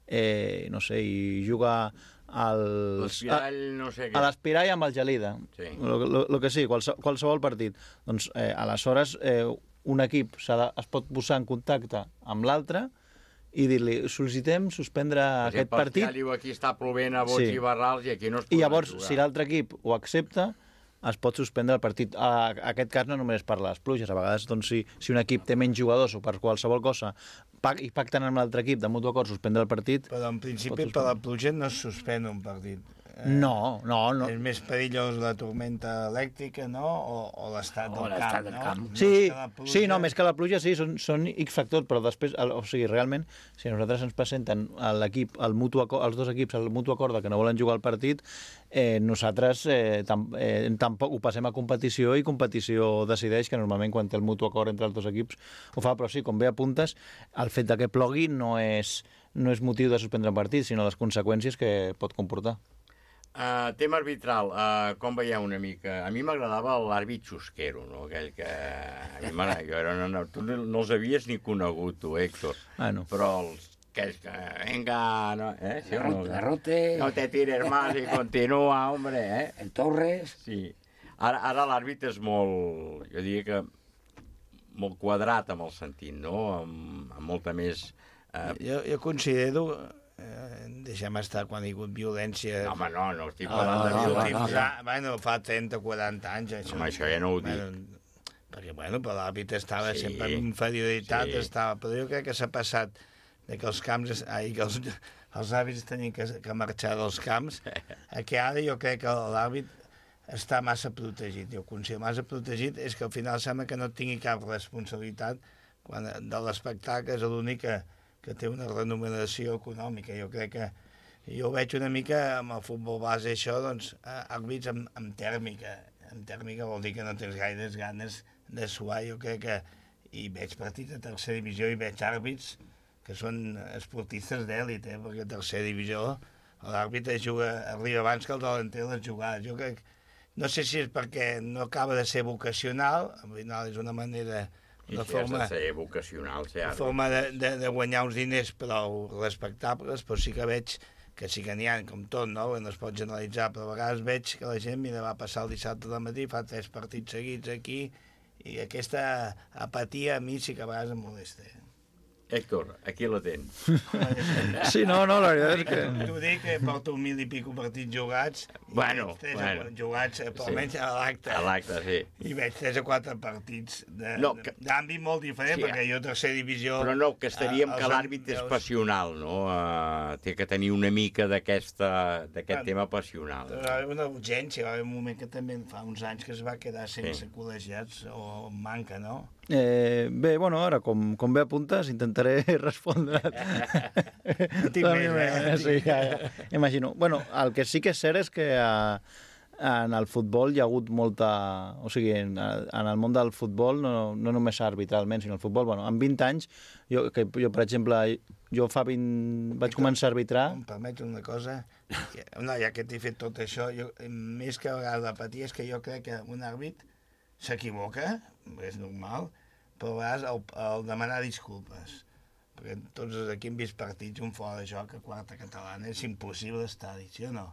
Eh, no sé, i juga al... L'Espirall, no sé què. A l'Espirall amb el Gelida. Sí. Lo, lo, lo que sí, qualse, qualsevol partit. Doncs eh, aleshores eh, un equip de, es pot posar en contacte amb l'altre i dir-li, sol·licitem suspendre per aquest exemple, partit. Ja diu aquí està plovent a bots sí. i barrals i aquí no es pot I llavors, jugar. Si l'altre equip ho accepta, es pot suspendre el partit. A, a aquest cas no només per les pluges, a vegades doncs, si, si un equip té menys jugadors o per qualsevol cosa i pacten amb l'altre equip de mutu acord suspendre el partit... Però en principi per la pluja no es suspèn un partit. Eh, no, no, no. És més perillós la tormenta elèctrica, no? O, o l'estat del, camp, del no? camp. Sí, pluja... sí, no, més que la pluja, sí, són, són X factors, però després, el, o sigui, realment, si a nosaltres ens presenten l'equip, el mutu acord, els dos equips, el mutu acord que no volen jugar al partit, eh, nosaltres eh, tam, eh, tampoc ho passem a competició i competició decideix, que normalment quan té el mutu acord entre els dos equips ho fa, però sí, com bé apuntes, el fet de que plogui no és, no és motiu de suspendre un partit, sinó les conseqüències que pot comportar. Uh, tema arbitral, uh, com veieu una mica? A mi m'agradava l'àrbit xusquero, no? Aquell que... A mi jo era una... Tu no els havies ni conegut, tu, Héctor. Ah, no. Però els aquells que... Venga, no? Eh? Sí, Garrote, no? Garrote. No te tires más i continua, hombre, eh? El Torres. Sí. Ara, ara l'àrbit és molt... Jo diria que molt quadrat amb el sentit, no? Amb, amb molta més... Uh... Jo, jo considero... Eh, deixem estar quan hi ha hagut violència... No, home, no, no estic parlant de violència. No, no, no. Bueno, fa trenta o quaranta anys, això. Home, això ja no ho dic. Bueno, perquè, bueno, però l'àrbit estava sí, sempre en inferioritat, sí. estava... Però jo crec que s'ha passat de que els camps... Ai, que els, els àrbits tenien que, que marxar dels camps, a que ara jo crec que l'àrbit està massa protegit. Jo considero massa protegit és que al final sembla que no tingui cap responsabilitat quan de l'espectacle és l'únic que que té una remuneració econòmica. Jo crec que jo ho veig una mica amb el futbol base, això, doncs, àrbits amb, amb tèrmica. Amb tèrmica vol dir que no tens gaires ganes de suar. Jo crec que i veig partits de tercera divisió i veig àrbits que són esportistes d'èlit, eh? Perquè a tercera divisió l'àrbitre juga, arriba abans que el delanter les jugades. Jo crec, no sé si és perquè no acaba de ser vocacional, al final és una manera, una I si forma, has de ser vocacional, ser una forma de, de, de guanyar uns diners prou respectables, però sí que veig que sí que n'hi ha, com tot, no? No es pot generalitzar, però a vegades veig que la gent, mira, va passar el dissabte de matí, fa tres partits seguits aquí, i aquesta apatia a mi sí que a vegades em molesta. Héctor, aquí la tens. Sí, no, no, la veritat és que... T'ho dic, que porto mil i pico partits jugats. Bueno, tres bueno. Jugats, sí. Almenys a l'acte. A l'acte, sí. I veig tres o quatre partits no, que... d'àmbit molt diferent, sí, perquè jo tercera divisió... Però no, que estaríem eh, que l'àrbit és passional, no? Uh, té que tenir una mica d'aquest bueno, tema passional. Va haver una urgència, va haver un moment que també fa uns anys que es va quedar sense sí. col·legiats, o manca, no? Eh, bé, bueno, ara, com, com bé apuntes, intentaré respondre. Tinc més, eh? Sí, ja, ja. Imagino. Bueno, el que sí que és cert és que a, en el futbol hi ha hagut molta... O sigui, en, en el món del futbol, no, no només arbitralment, sinó el futbol, bueno, en vint anys, jo, que, jo per exemple, jo fa vint... vaig començar a arbitrar... Em permets una cosa? No, ja que t'he fet tot això, jo, més que a vegades de patir, és que jo crec que un àrbit s'equivoca, és normal, però a vegades el, el demanar disculpes, perquè tots aquí hem vist partits, un fora de joc a quarta catalana, és impossible estar-hi, sí o no?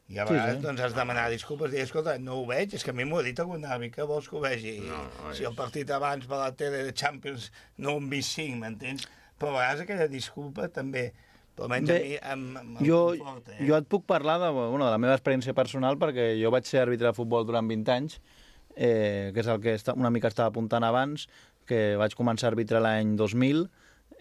I a vegades sí, sí. doncs has de demanar disculpes, i dir, escolta, no ho veig, és que a mi m'ho ha dit algun àrbit, que vols que ho vegi? No, no si el partit abans per la tele de Champions no ho hem vist cinc, m'entens? Però a vegades aquella disculpa també... Però almenys Bé, a mi em, em, em jo, conforta, eh? Jo et puc parlar de, bueno, de la meva experiència personal, perquè jo vaig ser àrbitre de futbol durant vint anys, eh, que és el que una mica estava apuntant abans, que vaig començar a arbitrar l'any dos mil.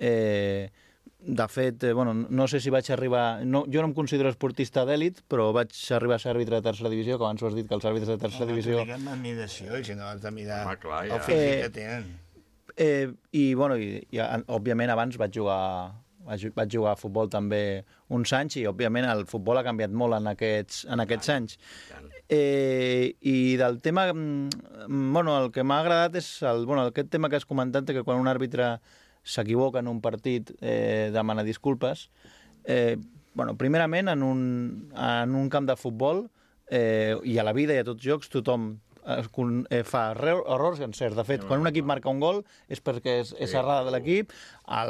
Eh, de fet, eh, bueno, no sé si vaig arribar... No, jo no em considero esportista d'èlit, però vaig arribar a ser àrbitre de tercera divisió, que abans ho has dit, que els àrbitres de tercera no, divisió... No, diguem admiració, i si no has de mirar ah, clar, ja. el eh, físic que tenen. Eh, I, bueno, i, i, òbviament, abans vaig jugar... Vaig, vaig jugar a futbol també uns anys i, òbviament, el futbol ha canviat molt en aquests, en aquests anys. Eh, I del tema... Bueno, el que m'ha agradat és el, bueno, aquest tema que has comentat, que quan un àrbitre s'equivoca en un partit eh, demana disculpes. Eh, bueno, primerament, en un, en un camp de futbol eh, i a la vida i a tots jocs, tothom eh, fa errors i encerts. De fet, quan un equip marca un gol és perquè és, és errada de l'equip,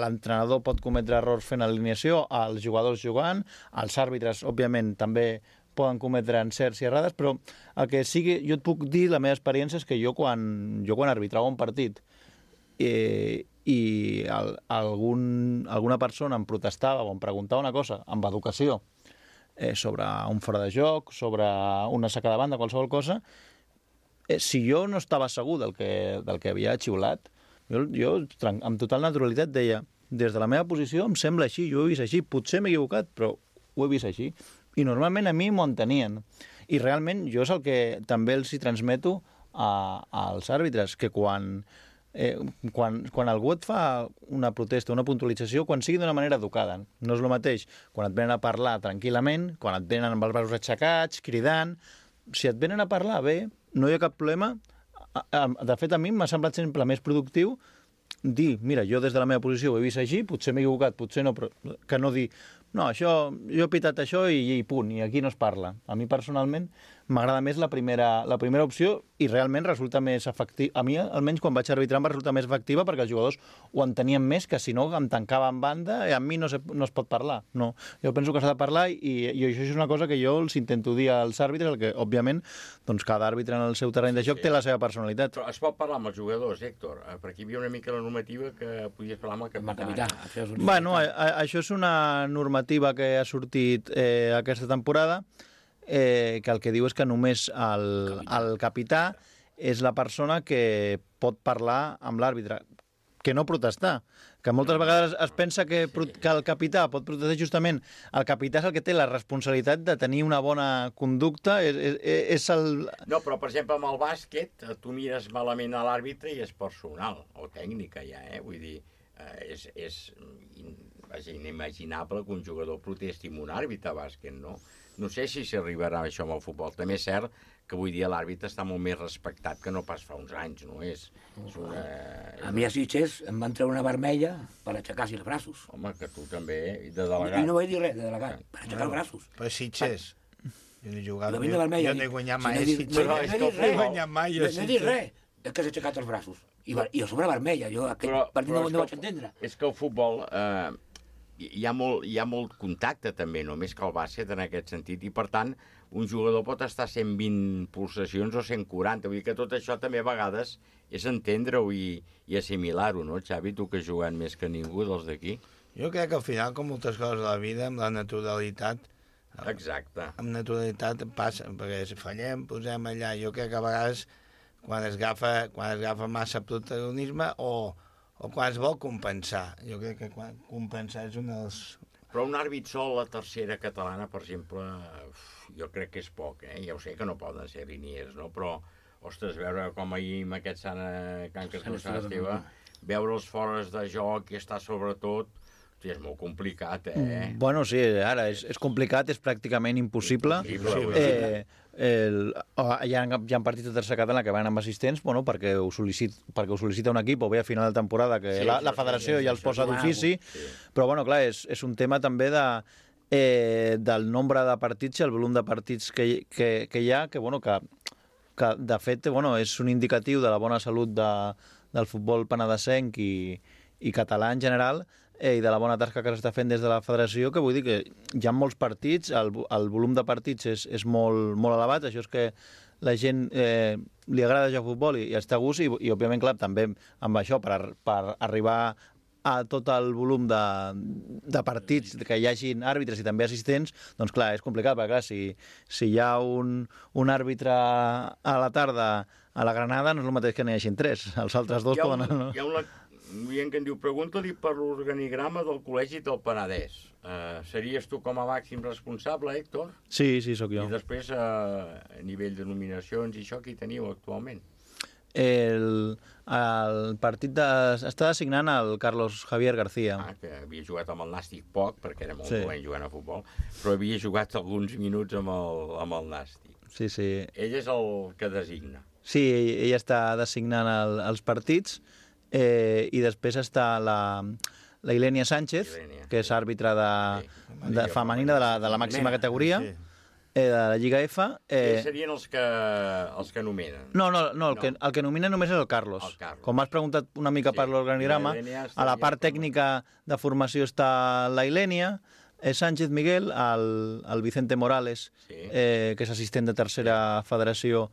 l'entrenador pot cometre errors fent alineació, els jugadors jugant, els àrbitres, òbviament, també poden cometre encerts i errades, però el que sigui, jo et puc dir, la meva experiència és que jo quan, jo quan arbitrava un partit eh, i el, algun, alguna persona em protestava o em preguntava una cosa amb educació eh, sobre un fora de joc, sobre una saca de banda, qualsevol cosa, eh, si jo no estava segur del que, del que havia xiulat, jo, jo amb total naturalitat deia, des de la meva posició em sembla així, jo ho he vist així, potser m'he equivocat, però ho he vist així. I normalment a mi m'ho entenien. I realment jo és el que també els hi transmeto a, als àrbitres, que quan, eh, quan, quan algú et fa una protesta, una puntualització, quan sigui d'una manera educada. No és el mateix quan et venen a parlar tranquil·lament, quan et venen amb els braços aixecats, cridant. Si et venen a parlar bé, no hi ha cap problema. De fet, a mi m'ha semblat sempre més productiu dir, mira, jo des de la meva posició ho he vist així, potser m'he equivocat, potser no, però que no dir, no, això, jo he pitat això i, i punt, i aquí no es parla. A mi personalment m'agrada més la primera, la primera opció i realment resulta més efectiva. A mi, almenys quan vaig arbitrar, em va resultar més efectiva perquè els jugadors ho entenien més, que si no em tancava en banda i a mi no, se, no es pot parlar. No, jo penso que s'ha de parlar i, i això és una cosa que jo els intento dir als àrbitres, el que, òbviament, doncs cada àrbitre en el seu terreny de joc sí, té la seva personalitat. Però es pot parlar amb els jugadors, Héctor, perquè hi havia una mica la normativa que podies parlar amb el capità. Bueno, a, a, això és una normativa que ha sortit eh, aquesta temporada, eh, que el que diu és que només el, el capità és la persona que pot parlar amb l'àrbitre, que no protestar. Que moltes vegades es pensa que, que el capità pot protestar justament. El capità és el que té la responsabilitat de tenir una bona conducta. És, és, és el... No, però, per exemple, amb el bàsquet, tu mires malament a l'àrbitre i és personal, o tècnica ja, eh? Vull dir, eh, és, és inimaginable que un jugador protesti amb un àrbitre a bàsquet, no? No sé si s'arribarà a això amb el futbol. També és cert que avui dia l'àrbitre està molt més respectat que no pas fa uns anys, no és? és una... A mi a Sitges em van treure una vermella per aixecar-se els braços. Home, que tu també, de delegat. I no vaig dir res, de delegat, per aixecar els braços. Per Sitges. Jo no he jugat, La venda vermella. jo no he guanyat mai. Si no he dit- no, no he dit he res. guanyat mai. No he dit res. És que s'ha aixecat els braços. I, va- i a sobre vermella. Jo aquest Però- partit però no, és no que vaig entendre. És que el futbol eh, hi, ha molt, hi ha molt contacte també, no més que el bàsquet en aquest sentit, i per tant un jugador pot estar a cent vint pulsacions o cent quaranta, vull dir que tot això també a vegades és entendre-ho i, i assimilar-ho, no, Xavi? Tu que has jugat més que ningú dels d'aquí. Jo crec que al final, com moltes coses de la vida, amb la naturalitat... Exacte. Amb naturalitat passa, perquè si fallem, posem allà. Jo crec que a vegades, quan es agafa, quan es agafa massa protagonisme o, o quan es vol compensar. Jo crec que quan compensar és un dels... Però un àrbit sol, la tercera catalana, per exemple, uf, jo crec que és poc, eh? Ja ho sé que no poden ser liniers, no? Però, ostres, veure com ahir amb aquest Sant eh, Can Castor Sant Esteve, veure els fores de joc i estar sobretot, hosti, és molt complicat, eh? Bueno, sí, ara és, és complicat, és pràcticament impossible. Impossible, eh, el, oh, hi, ha, hi ha partits de tercera catalana que van amb assistents, bueno, perquè ho, sol·licit, perquè ho sol·licita un equip, o bé a final de temporada, que Sí, la, això la sí, federació sí, ja els això posa és d'ofici, sí. però bueno, clar, és, és un tema també de, eh, del nombre de partits i el volum de partits que, que, que hi ha, que, bueno, que, que de fet bueno, és un indicatiu de la bona salut de, del futbol penedesenc i, i català en general, eh, i de la bona tasca que s'està fent des de la federació, que vull dir que hi ha molts partits, el, el volum de partits és, és molt, molt elevat, això és que la gent eh, li agrada jugar a futbol i, i està a gust, i, i òbviament, clar, també amb això, per, per arribar a tot el volum de, de partits que hi hagin àrbitres i també assistents, doncs clar, és complicat, perquè clar, si, si hi ha un, un àrbitre a la tarda a la Granada, no és el mateix que n'hi hagin tres, els altres dos Hi ha poden... un, No? hi ha un, un oient que em diu, pregunta-li per l'organigrama del Col·legi del Penedès. Uh, series tu com a màxim responsable, Héctor? Sí, sí, sóc jo. I després, uh, a nivell de nominacions i això, qui teniu actualment? El, el partit de, està designant el Carlos Javier García. Ah, que havia jugat amb el Nàstic poc, perquè era molt Sí. dolent jugant a futbol, però havia jugat alguns minuts amb el, amb el Nàstic. Sí, sí. Ell és el que designa. Sí, ell, ell està designant el, els partits, eh, i després està la, la Ilenia Sánchez, Ilenia, que és àrbitre de, sí. de femenina de la, de la màxima categoria, sí. eh, de la Lliga F. Eh... Eh, Ells serien els que, els que nomenen. No, no, no, el, no. Que, el que nomina només és el Carlos. El Carlos. Com m'has preguntat una mica sí. per l'organigrama, a la part tècnica de formació està la Ilenia, eh, Sánchez Miguel, el, el Vicente Morales, sí. eh, que és assistent de tercera federació,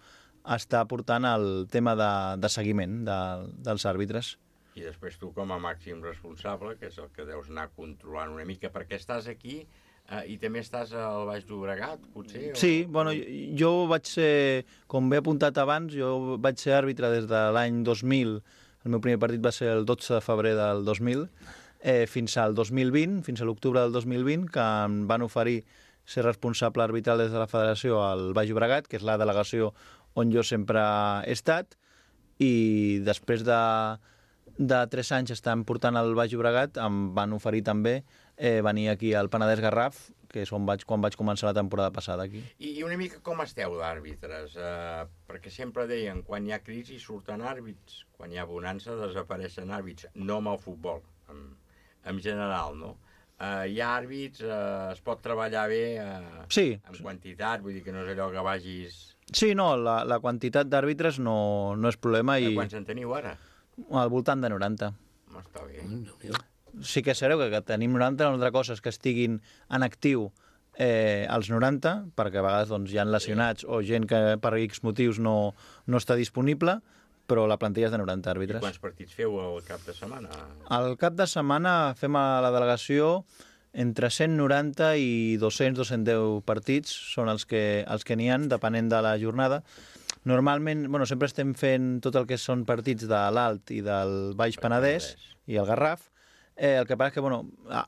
està portant el tema de, de seguiment de, dels àrbitres. I després tu com a màxim responsable, que és el que deus anar controlant una mica, perquè estàs aquí eh, i també estàs al Baix Llobregat, potser? O... Sí, bueno, jo, jo vaig ser, com he apuntat abans, jo vaig ser àrbitre des de l'any dos mil, el meu primer partit va ser el dotze de febrer del dos mil, eh, fins al dos mil vint, fins a l'octubre del dos mil vint, que em van oferir ser responsable arbitral des de la federació al Baix Llobregat, que és la delegació on jo sempre he estat, i després de, de tres anys estant portant el Baix Llobregat em van oferir també eh, venir aquí al Penedès Garraf, que és on vaig, quan vaig començar la temporada passada aquí. I, i una mica com esteu d'àrbitres? Eh, perquè sempre deien, quan hi ha crisi surten àrbits, quan hi ha bonança desapareixen àrbits, no amb el futbol, en, en general, no? Uh, hi ha àrbits, uh, es pot treballar bé uh, sí. en quantitat, vull dir que no és allò que vagis... Sí, no, la, la quantitat d'àrbitres no, no és problema. I... Quants en teniu ara? Al voltant de noranta. Està bé. Sí que és cert que, que tenim noranta, una altra cosa és que estiguin en actiu eh, als noranta, perquè a vegades doncs, hi ha lesionats sí. o gent que per X motius no, no està disponible, però la plantilla és de noranta àrbitres. I quants partits feu al cap de setmana? Al cap de setmana fem a la delegació entre cent noranta i dos-cents a dos-cents deu partits, són els que els que n'hi ha, depenent de la jornada. Normalment, bueno, sempre estem fent tot el que són partits de l'Alt i del Baix Penedès i el Garraf. Eh, el que passa és que, bueno,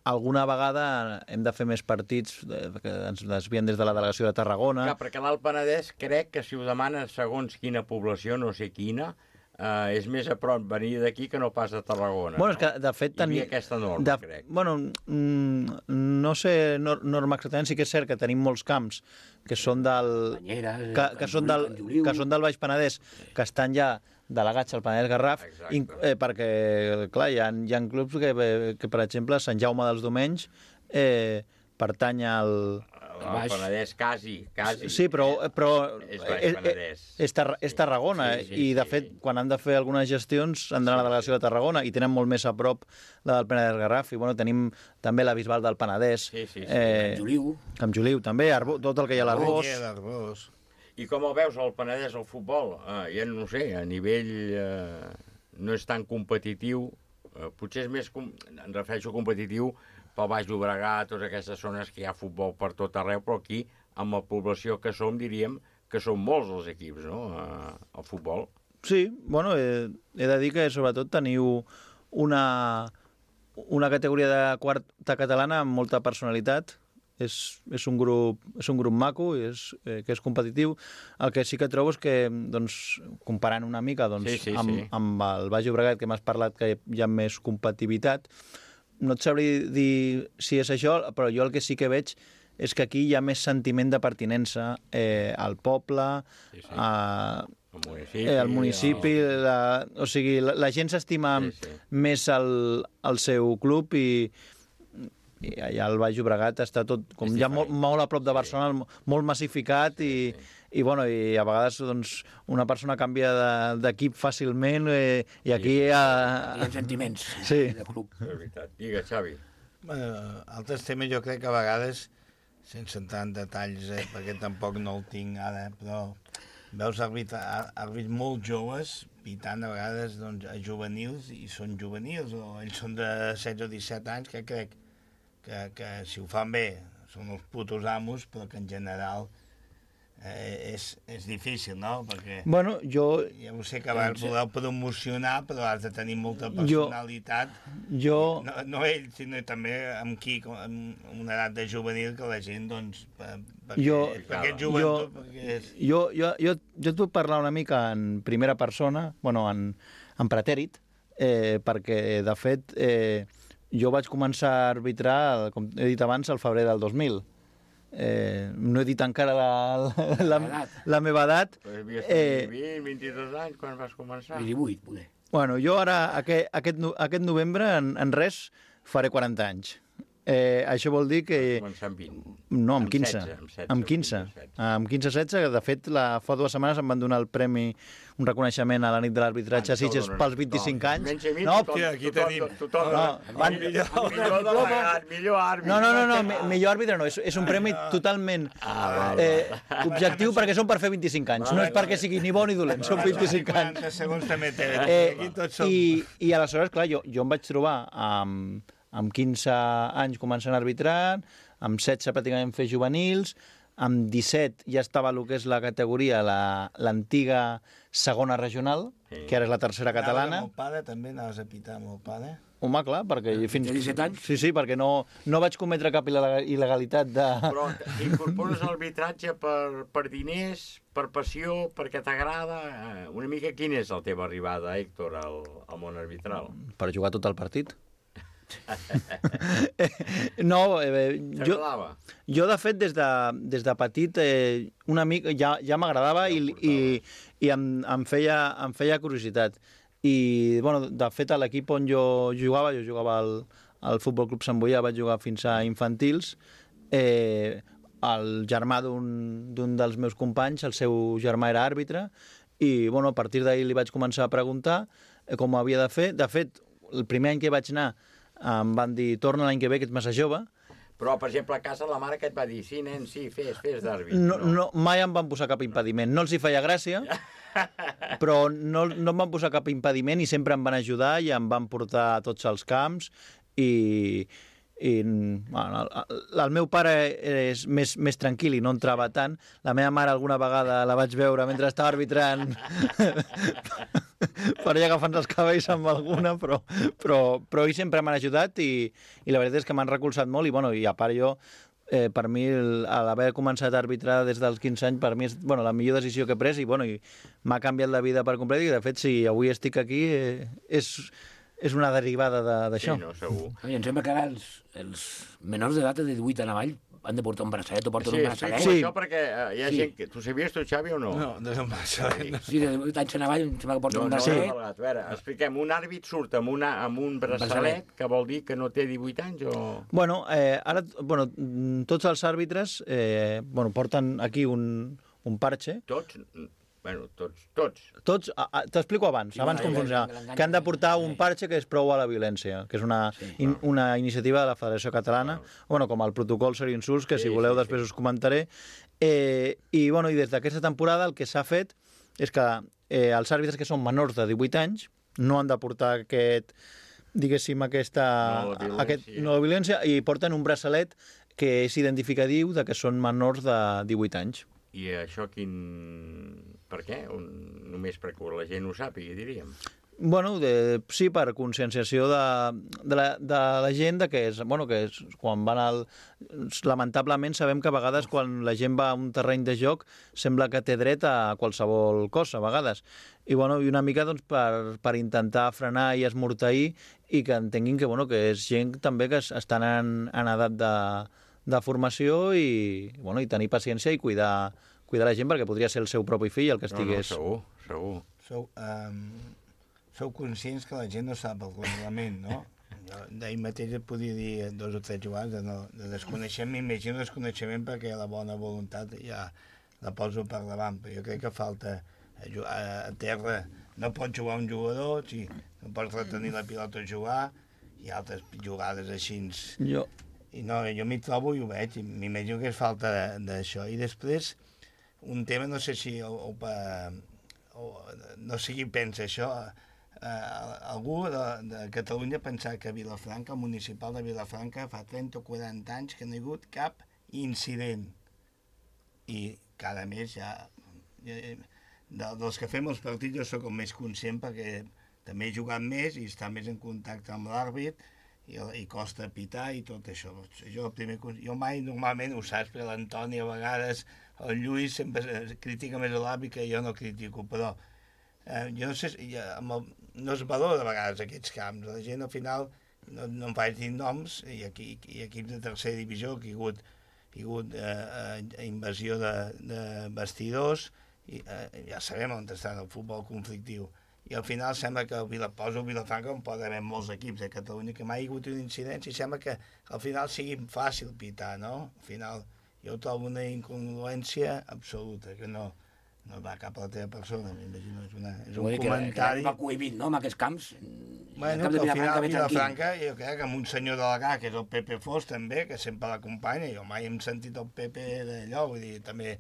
alguna vegada hem de fer més partits eh, que ens desvien des de la delegació de Tarragona. Clar, perquè l'Alt Penedès crec que si ho demana segons quina població, no sé quina, Uh, és més a prop venir d'aquí que no pas de Tarragona. Bueno, no? és que, de fet... Hi havia aquesta norma, de, crec. Bueno, mm, no sé norma exactament, sí que és cert que tenim molts camps que són del... Banyeres, que, que, són del que són del Baix Penedès, que estan ja delegats al Penedès Garraf, in, eh, perquè, clar, hi ha, hi ha clubs que, que, per exemple, Sant Jaume dels Domenys eh, pertany al... El Penedès, quasi, quasi. Sí, però, però és, és, Penedès. és, tar és Tarragona, sí, sí, i de fet, sí. quan han de fer algunes gestions han d'anar a la delegació de Tarragona i tenen molt més a prop la del Penedès Garraf, i bueno, tenim també la Bisbal del Penedès. Sí, sí, sí. Camp Eh, Juliu. Camp Juliu, també, Arbo, tot el que hi ha a l'Arbós. I com el veus, el Penedès, al futbol? Eh, ja no sé, a nivell eh, no és tan competitiu, eh, potser és més, com, em refereixo competitiu, pel Baix Llobregat, totes aquestes zones que hi ha futbol per tot arreu, però aquí, amb la població que som, diríem que són molts els equips, no?, al futbol. Sí, bueno, he, he de dir que sobretot teniu una, una categoria de quarta catalana amb molta personalitat. És, és, un, grup, és un grup maco, és, eh, que és competitiu. El que sí que trobo és que, doncs, comparant una mica doncs, sí, sí, amb, sí. amb el Baix Llobregat, que m'has parlat que hi ha més competitivitat, no et sabria dir si és això, però jo el que sí que veig és que aquí hi ha més sentiment de pertinença eh, al poble, sí, sí. A, al municipi, eh, al municipi el... la, o sigui, la, la gent s'estima sí, sí. més al, al seu club, i, i allà al Baix Llobregat està tot com ja molt, molt a prop de Barcelona, sí. molt massificat, i, sí, sí. I, bueno, i a vegades doncs, una persona canvia d'equip de, fàcilment, eh, i aquí hi ha... Hi ha sentiments sí. de club. És veritat. Digue, Xavi. Bueno, altres temes jo crec que a vegades, sense entrar en detalls, eh, perquè tampoc no el tinc ara, però veus àrbits molt joves pitant a vegades doncs, a juvenils, i són juvenils, o ells són de setze o disset anys, que crec que, que si ho fan bé són els putos amos, però que en general... Eh, és, és difícil, no? Perquè bueno, jo... ja ho sé que vas voler promocionar, però has de tenir molta personalitat. Jo... No, no ell, sinó també amb qui, amb una edat de juvenil, que la gent, doncs, perquè, jo, perquè és joventut... Jo, perquè és... jo, jo, jo, jo et puc parlar una mica en primera persona, bueno, en, en pretèrit, eh, perquè, de fet, eh, jo vaig començar a arbitrar, com he dit abans, al febrer del dos mil. Eh, no he dit encara la, la, la, la meva edat. Però havies eh, vint, vint-i-dos anys quan vas començar. divuit, poder. Bueno, jo ara, aquest, aquest, aquest novembre, en, en res, faré quaranta anys. Eh, això vol dir que... Vas començar amb vint. No, amb quinze. Amb setze. Amb quinze. Amb quinze setze, de fet, la, fa dues setmanes em van donar el premi, un reconeixement a la nit de l'arbitratge a Sitges pels vint-i-cinc anys. Menys a mi, no, tothom, aquí tothom, tenim. tothom, no, van, millor, millor delegat, millor àrbitre. No, no, no, no, millor àrbitre no, és, és un premi totalment ah, eh, objectiu, perquè són per fer vint-i-cinc anys, no és perquè sigui ni bo ni dolent, són vint-i-cinc anys. quaranta segons també té. Eh, i, I aleshores, clar, jo, jo em vaig trobar amb, amb quinze anys començant a arbitrar, amb setze pràcticament fer juvenils, amb disset ja estava el que és la categoria, l'antiga la, segona regional, sí. que ara és la tercera catalana. Anaves amb el pare, també anaves a pitar amb el pare? Home, clar, perquè... Fins... Té disset anys? Sí, sí, perquè no, no vaig cometre cap il·legalitat de... Però incorpores l'arbitratge per, per diners, per passió, perquè t'agrada? Una mica quina és la teva arribada, Héctor, al, al món arbitral? Per jugar tot el partit. No, eh, jo, jo de fet des de, des de petit eh, una mica ja, ja m'agradava i, i, i em, em, feia, em feia curiositat. I, bueno, de fet, a l'equip on jo jugava, jo jugava al, al Futbol Club Sant Boià, vaig jugar fins a infantils, eh, el germà d'un dels meus companys, el seu germà era àrbitre, i bueno, a partir d'ahir li vaig començar a preguntar eh, com ho havia de fer. De fet, el primer any que vaig anar em van dir, torna l'any que ve, que ets massa jove. Però, per exemple, a casa la mare que et va dir, sí, nen, sí, fes, fes d'àrbit. No, no, mai em van posar cap impediment. No els hi feia gràcia, però no, no em van posar cap impediment i sempre em van ajudar i em van portar a tots els camps i... i bueno, el, el meu pare és més, més tranquil i no entrava tant. La meva mare alguna vegada la vaig veure mentre estava arbitrant per allà agafant els cabells amb alguna, però, però, però ells sempre m'han ajudat i, i la veritat és que m'han recolzat molt i, bueno, i a part jo, eh, per mi, l'haver començat a arbitrar des dels quinze anys, per mi és bueno, la millor decisió que he pres i, bueno, i m'ha canviat la vida per complet i, de fet, si avui estic aquí, eh, és... és una derivada d'això. Sí, no, segur. I em sembla que ara els, els menors d'edat de divuit en avall han de portar un braçalet o porten Sí, un explico braçalet. això perquè eh, hi ha Sí. gent que... Tu sabies tu, Xavi, o no? No, de un braçalet. No. Sí, de divuit anys en avall, em sembla que porten No, un no, braçalet. no, a veure, expliquem, un àrbit surt amb, una, amb un braçalet, braçalet. que vol dir que no té divuit anys o... Bueno, eh, ara, bueno, mm, tots els àrbitres eh, bueno, porten aquí un, un parche. Tots? Bueno, tots, tots. Tots, a- a- t'explico abans, Sí, abans vale, com vale, funciona. l'engany Que han de portar un parche que és prou a la violència, que és una, in, una iniciativa de la Federació Catalana, bueno, com el protocol Ser Insults, que si Sí, voleu sí, després us comentaré. Eh, I, bueno, i des d'aquesta temporada el que s'ha fet és que eh, els àrbitres que són menors de divuit anys no han de portar aquest, diguéssim, aquesta... No, la violència. aquest, no, la violència, i porten un braçalet que és identificatiu de que són menors de divuit anys. I això quin... Per què? Un... Només perquè la gent ho sàpiga, diríem. Bueno, de, sí, per conscienciació de, de, la, de la gent de que és, bueno, que és, quan van al... Lamentablement sabem que a vegades quan la gent va a un terreny de joc sembla que té dret a qualsevol cosa, a vegades. I, bueno, i una mica doncs, per, per intentar frenar i esmorteir i que entenguin que, bueno, que és gent també que estan en, en edat de, de formació i, bueno, i tenir paciència i cuidar, cuidar la gent perquè podria ser el seu propi fill el que estigués... No, no, segur, segur. Sou, um, sou conscients que la gent no sap el reglament, no? Jo d'ahir mateix et podia dir dos o tres jugades de, no, de desconeixement, m'imagino desconeixement perquè la bona voluntat ja la poso per davant, però jo crec que falta a, a, a terra, no pot jugar un jugador, sí, no pots retenir la pilota a jugar, i altres jugades així. Jo... I no, jo m'hi trobo i ho veig, i m'imagino que és falta d'això. I després, un tema, no sé si o, o, o, no sé qui pensa això, eh, algú de, de Catalunya pensar que Vilafranca, el municipal de Vilafranca, fa trenta o quaranta anys que no hi ha hagut cap incident. I cada mes ja... De, dels que fem els partits jo sóc el més conscient perquè també he jugat més i està més en contacte amb l'àrbit i, i costa pitar i tot això. Jo, primer, jo mai normalment ho saps, perquè l'Antoni a vegades, el Lluís sempre critica més l'àrbit que jo no critico, però eh, jo no sé, ja, amb el, no es valora a vegades aquests camps. La gent al final, no, no em faig dir noms, i, aquí, i equips de tercera divisió que hi ha hagut, hi ha hagut eh, invasió de, de vestidors, i eh, ja sabem on està el futbol conflictiu. I al final sembla que el Vila, poso el Vilafranca on pot haver molts equips de Catalunya que mai hi ha hagut una incidència i sembla que al final sigui fàcil pitar, no? Al final jo trobo una incongruència absoluta, que no, no va cap a la teva persona, m'imagino, és, una, és un Vull dir que, comentari... Que va cohibint, no?, amb aquests camps. Bueno, que al final Vilafranca, jo crec que amb un senyor delegà, que és el Pepe Fos també, que sempre l'acompanya, jo mai hem sentit el Pepe d'allò, vull dir, també,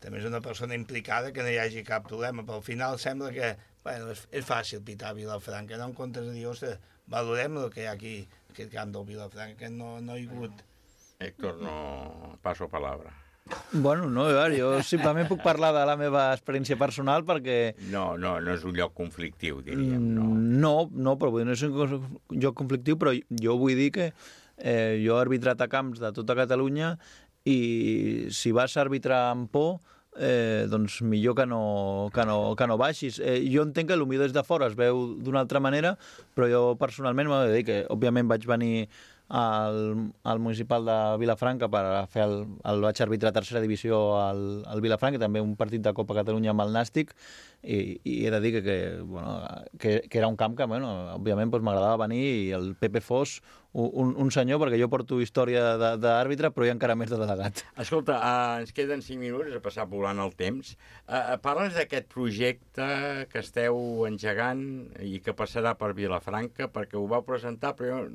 també és una persona implicada que no hi hagi cap problema, però al final sembla que bueno, és, és fàcil pitar a Vilafranca, no en comptes de dir, ostres, valorem el que hi ha aquí, aquest camp del Vilafranca, que no, no hi ha hagut. Héctor, no passo palabra. Bueno, no, a veure, jo simplement puc parlar de la meva experiència personal perquè... No, no, no és un lloc conflictiu, diríem, no. No, no, però vull dir, no és un lloc conflictiu, però jo vull dir que eh, jo he arbitrat a camps de tota Catalunya i si vas a arbitrar amb por, eh, doncs millor que no, que no, que no baixis. Eh, jo entenc que potser des de fora es veu d'una altra manera, però jo personalment m'ho he de dir que, òbviament, vaig venir al, al municipal de Vilafranca per fer el, el vaig arbitrar a tercera divisió al, al Vilafranca, també un partit de Copa Catalunya amb el Nàstic, i, i he de dir que, que, bueno, que, que era un camp que, bueno, òbviament, doncs, m'agradava venir, i el Pepe Fos, un, un senyor, perquè jo porto història d'àrbitre, però hi ha encara més de delegat. Escolta, uh, ens queden cinc minuts a passar volant el temps. Uh, parles d'aquest projecte que esteu engegant i que passarà per Vilafranca, perquè ho vau presentar, però jo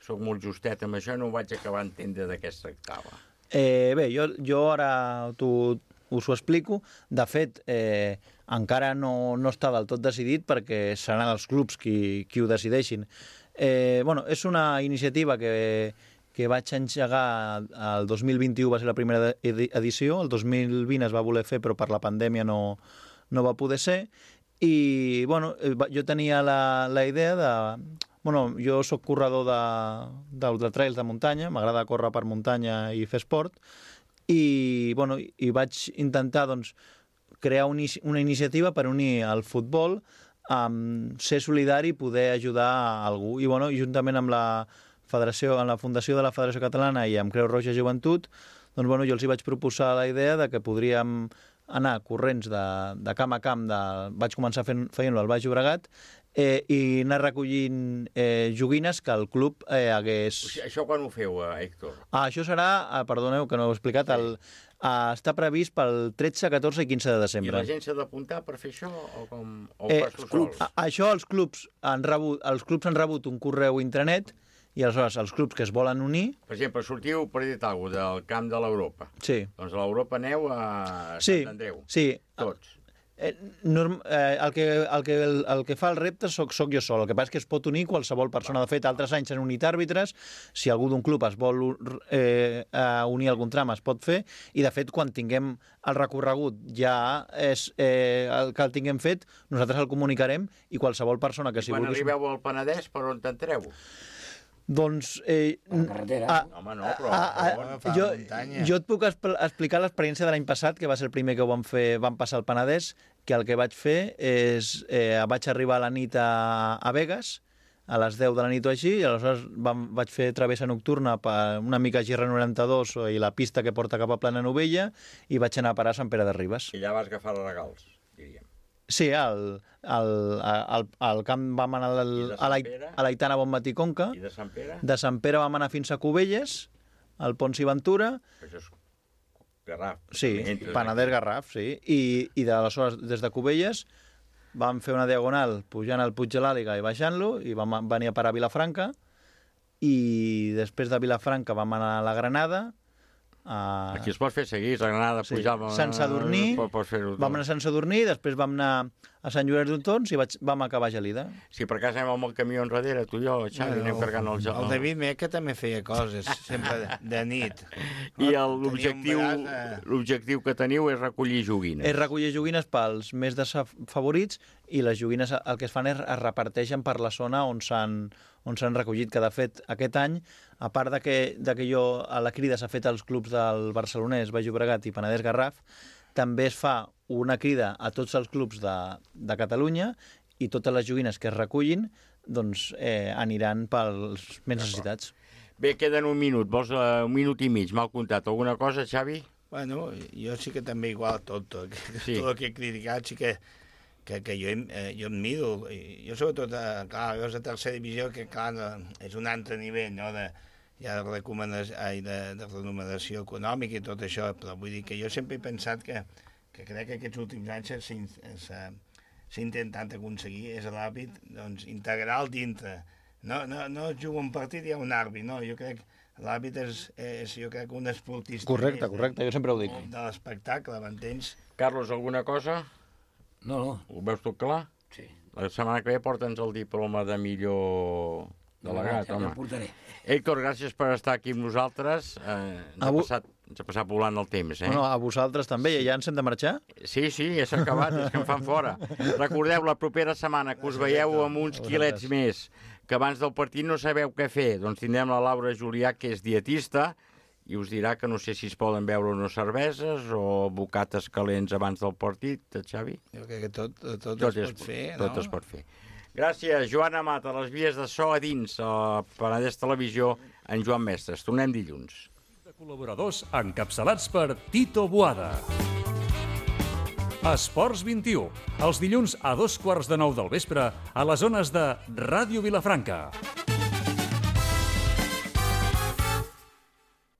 soc molt justet amb això, no ho vaig acabar d'entendre de què es tractava. Eh, bé, jo, jo ara t'ho, us ho explico. De fet, eh, encara no, no està del tot decidit perquè seran els clubs qui, qui ho decideixin. Eh, bueno, és una iniciativa que, que vaig engegar el dos mil vint-i-u, va ser la primera edició, el dos mil vint es va voler fer però per la pandèmia no, no va poder ser, i bueno, jo tenia la, la idea de... Bueno, jo sóc corredor d'ultratrails de, de muntanya, m'agrada córrer per muntanya i fer esport, i, bueno, i vaig intentar doncs, crear un, una iniciativa per unir el futbol amb ser solidari i poder ajudar a algú. I bueno, juntament amb la Federació, en la fundació de la Federació Catalana i amb Creu Roja Joventut, doncs bueno, jo els hi vaig proposar la idea de que podríem anar corrents de, de camp a camp, de, vaig començar fent, fent-lo al Baix Llobregat, eh, i anar recollint eh, joguines que el club eh, hagués... O sigui, això quan ho feu, eh, Héctor? Ah, això serà, ah, perdoneu que no ho he explicat, el, ah, està previst pel tretze, catorze i quinze de desembre. I la gent s'ha d'apuntar per fer això? O, com, o eh, per tu sols? A, això els clubs, han rebut, els clubs han rebut un correu intranet i aleshores els clubs que es volen unir... Per exemple, sortiu, per dir alguna cosa, del camp de l'Europa. Sí. Doncs a l'Europa aneu a sí, Sant Andreu. Sí. Tots. Eh, norm, eh, el, que, el, que, el, el que fa el repte soc, soc jo sol. El que passa és que es pot unir qualsevol persona. De fet, altres anys s'han unit àrbitres. Si algú d'un club es vol eh, unir a algun tram, es pot fer. I, de fet, quan tinguem el recorregut ja és eh, el que el tinguem fet, nosaltres el comunicarem i qualsevol persona que I si quan vulgui... arribeu al Penedès, per on t'entreu? Doncs... Eh, la carretera. A, Home, no, però... a, a, a, jo, jo et puc explicar l'experiència de l'any passat, que va ser el primer que ho vam fer, vam passar al Penedès, que el que vaig fer és... Eh, vaig arribar a la nit a, a Begues, a les deu de la nit o així, i aleshores vam, vaig fer travessa nocturna per una mica Girra noranta-dos i la pista que porta cap a Plana Novella, i vaig anar a parar a Sant Pere de Ribes. I allà vas agafar els regals, diríem. Sí, al, al, al, al camp vam anar al, a, la, a l'Aitana Bonmatí Conca. I de Sant Pere? De Sant Pere vam anar fins a Cubelles, al Pons i Ventura. Això és Garraf. Sí, Penedès Garraf, sí. I, i d'aleshores, des de Cubelles, vam fer una diagonal pujant al Puig de l'Àliga i baixant-lo, i vam venir a parar a Vilafranca, i després de Vilafranca vam anar a la Granada. Uh, Aquí es pot fer seguir, a Granada, sí. pujar... Sant Sadurní, vam anar a Sant Sadurní, després vam anar a Sant Llorenç d'Hortons i vaig, vam acabar a Gelida. Si per cas anem amb el camió enrere, tu i jo, Xavi, anem carregant el gel. El David Meca també feia coses, sempre de, de nit. I l'objectiu l'objectiu que teniu és recollir joguines. És recollir joguines pels més desfavorits, i les joguines el que es fan és es reparteixen per la zona on s'han on s'han recollit, que de fet aquest any, a part de que, de que jo a la crida s'ha fet als clubs del Barcelonès, Baix Llobregat i Penedès Garraf, també es fa una crida a tots els clubs de, de Catalunya, i totes les joguines que es recullin doncs, eh, aniran pels més necessitats. Bé, queden un minut, vols uh, un minut i mig, m'ha comptat. Alguna cosa, Xavi? Bueno, jo sí que també igual tot, tot, sí. tot el que he criticat, sí que que, que jo, eh, jo em miro, jo sobretot, eh, clar, veus a tercera divisió, que clar, no, és un altre nivell, no?, de, ja de, recomanació, ai, de, de remuneració econòmica i tot això, però vull dir que jo sempre he pensat que, que crec que aquests últims anys s'ha intentat aconseguir, és l'àrbit, doncs, integral dintre. No, no, no es juga un partit i hi ha un àrbit, no, jo crec que l'àrbit és, és, jo crec, un esportista. Correcte, correcte, jo sempre ho dic. De l'espectacle, m'entens? Carlos, alguna cosa? No, no. Ho veus tot clar? Sí. La setmana que ve porta'ns el diploma de millor delegat, no, ja home. portaré. Héctor, gràcies per estar aquí amb nosaltres. Eh, ens, ha passat, ens ha passat volant el temps, eh? Bueno, a vosaltres també, ja ens hem de marxar? Sí, sí, ja s'ha acabat, és que em fan fora. Recordeu, la propera setmana que us veieu amb uns quilets més, que abans del partit no sabeu què fer, doncs tindrem la Laura Julià, que és dietista, i us dirà que no sé si es poden beure unes cerveses o bocates calents abans del partit, Xavi? Jo crec que tot, tot, tot es pot fer, no? Tot es pot fer. Gràcies, Joan Amat, a les vies de so a dins, a Penedès Televisió, en Joan Mestres. Tornem dilluns. De col·laboradors encapçalats per Tito Boada. Esports vint-i-u, els dilluns a dos quarts de nou del vespre a les zones de Ràdio Vilafranca.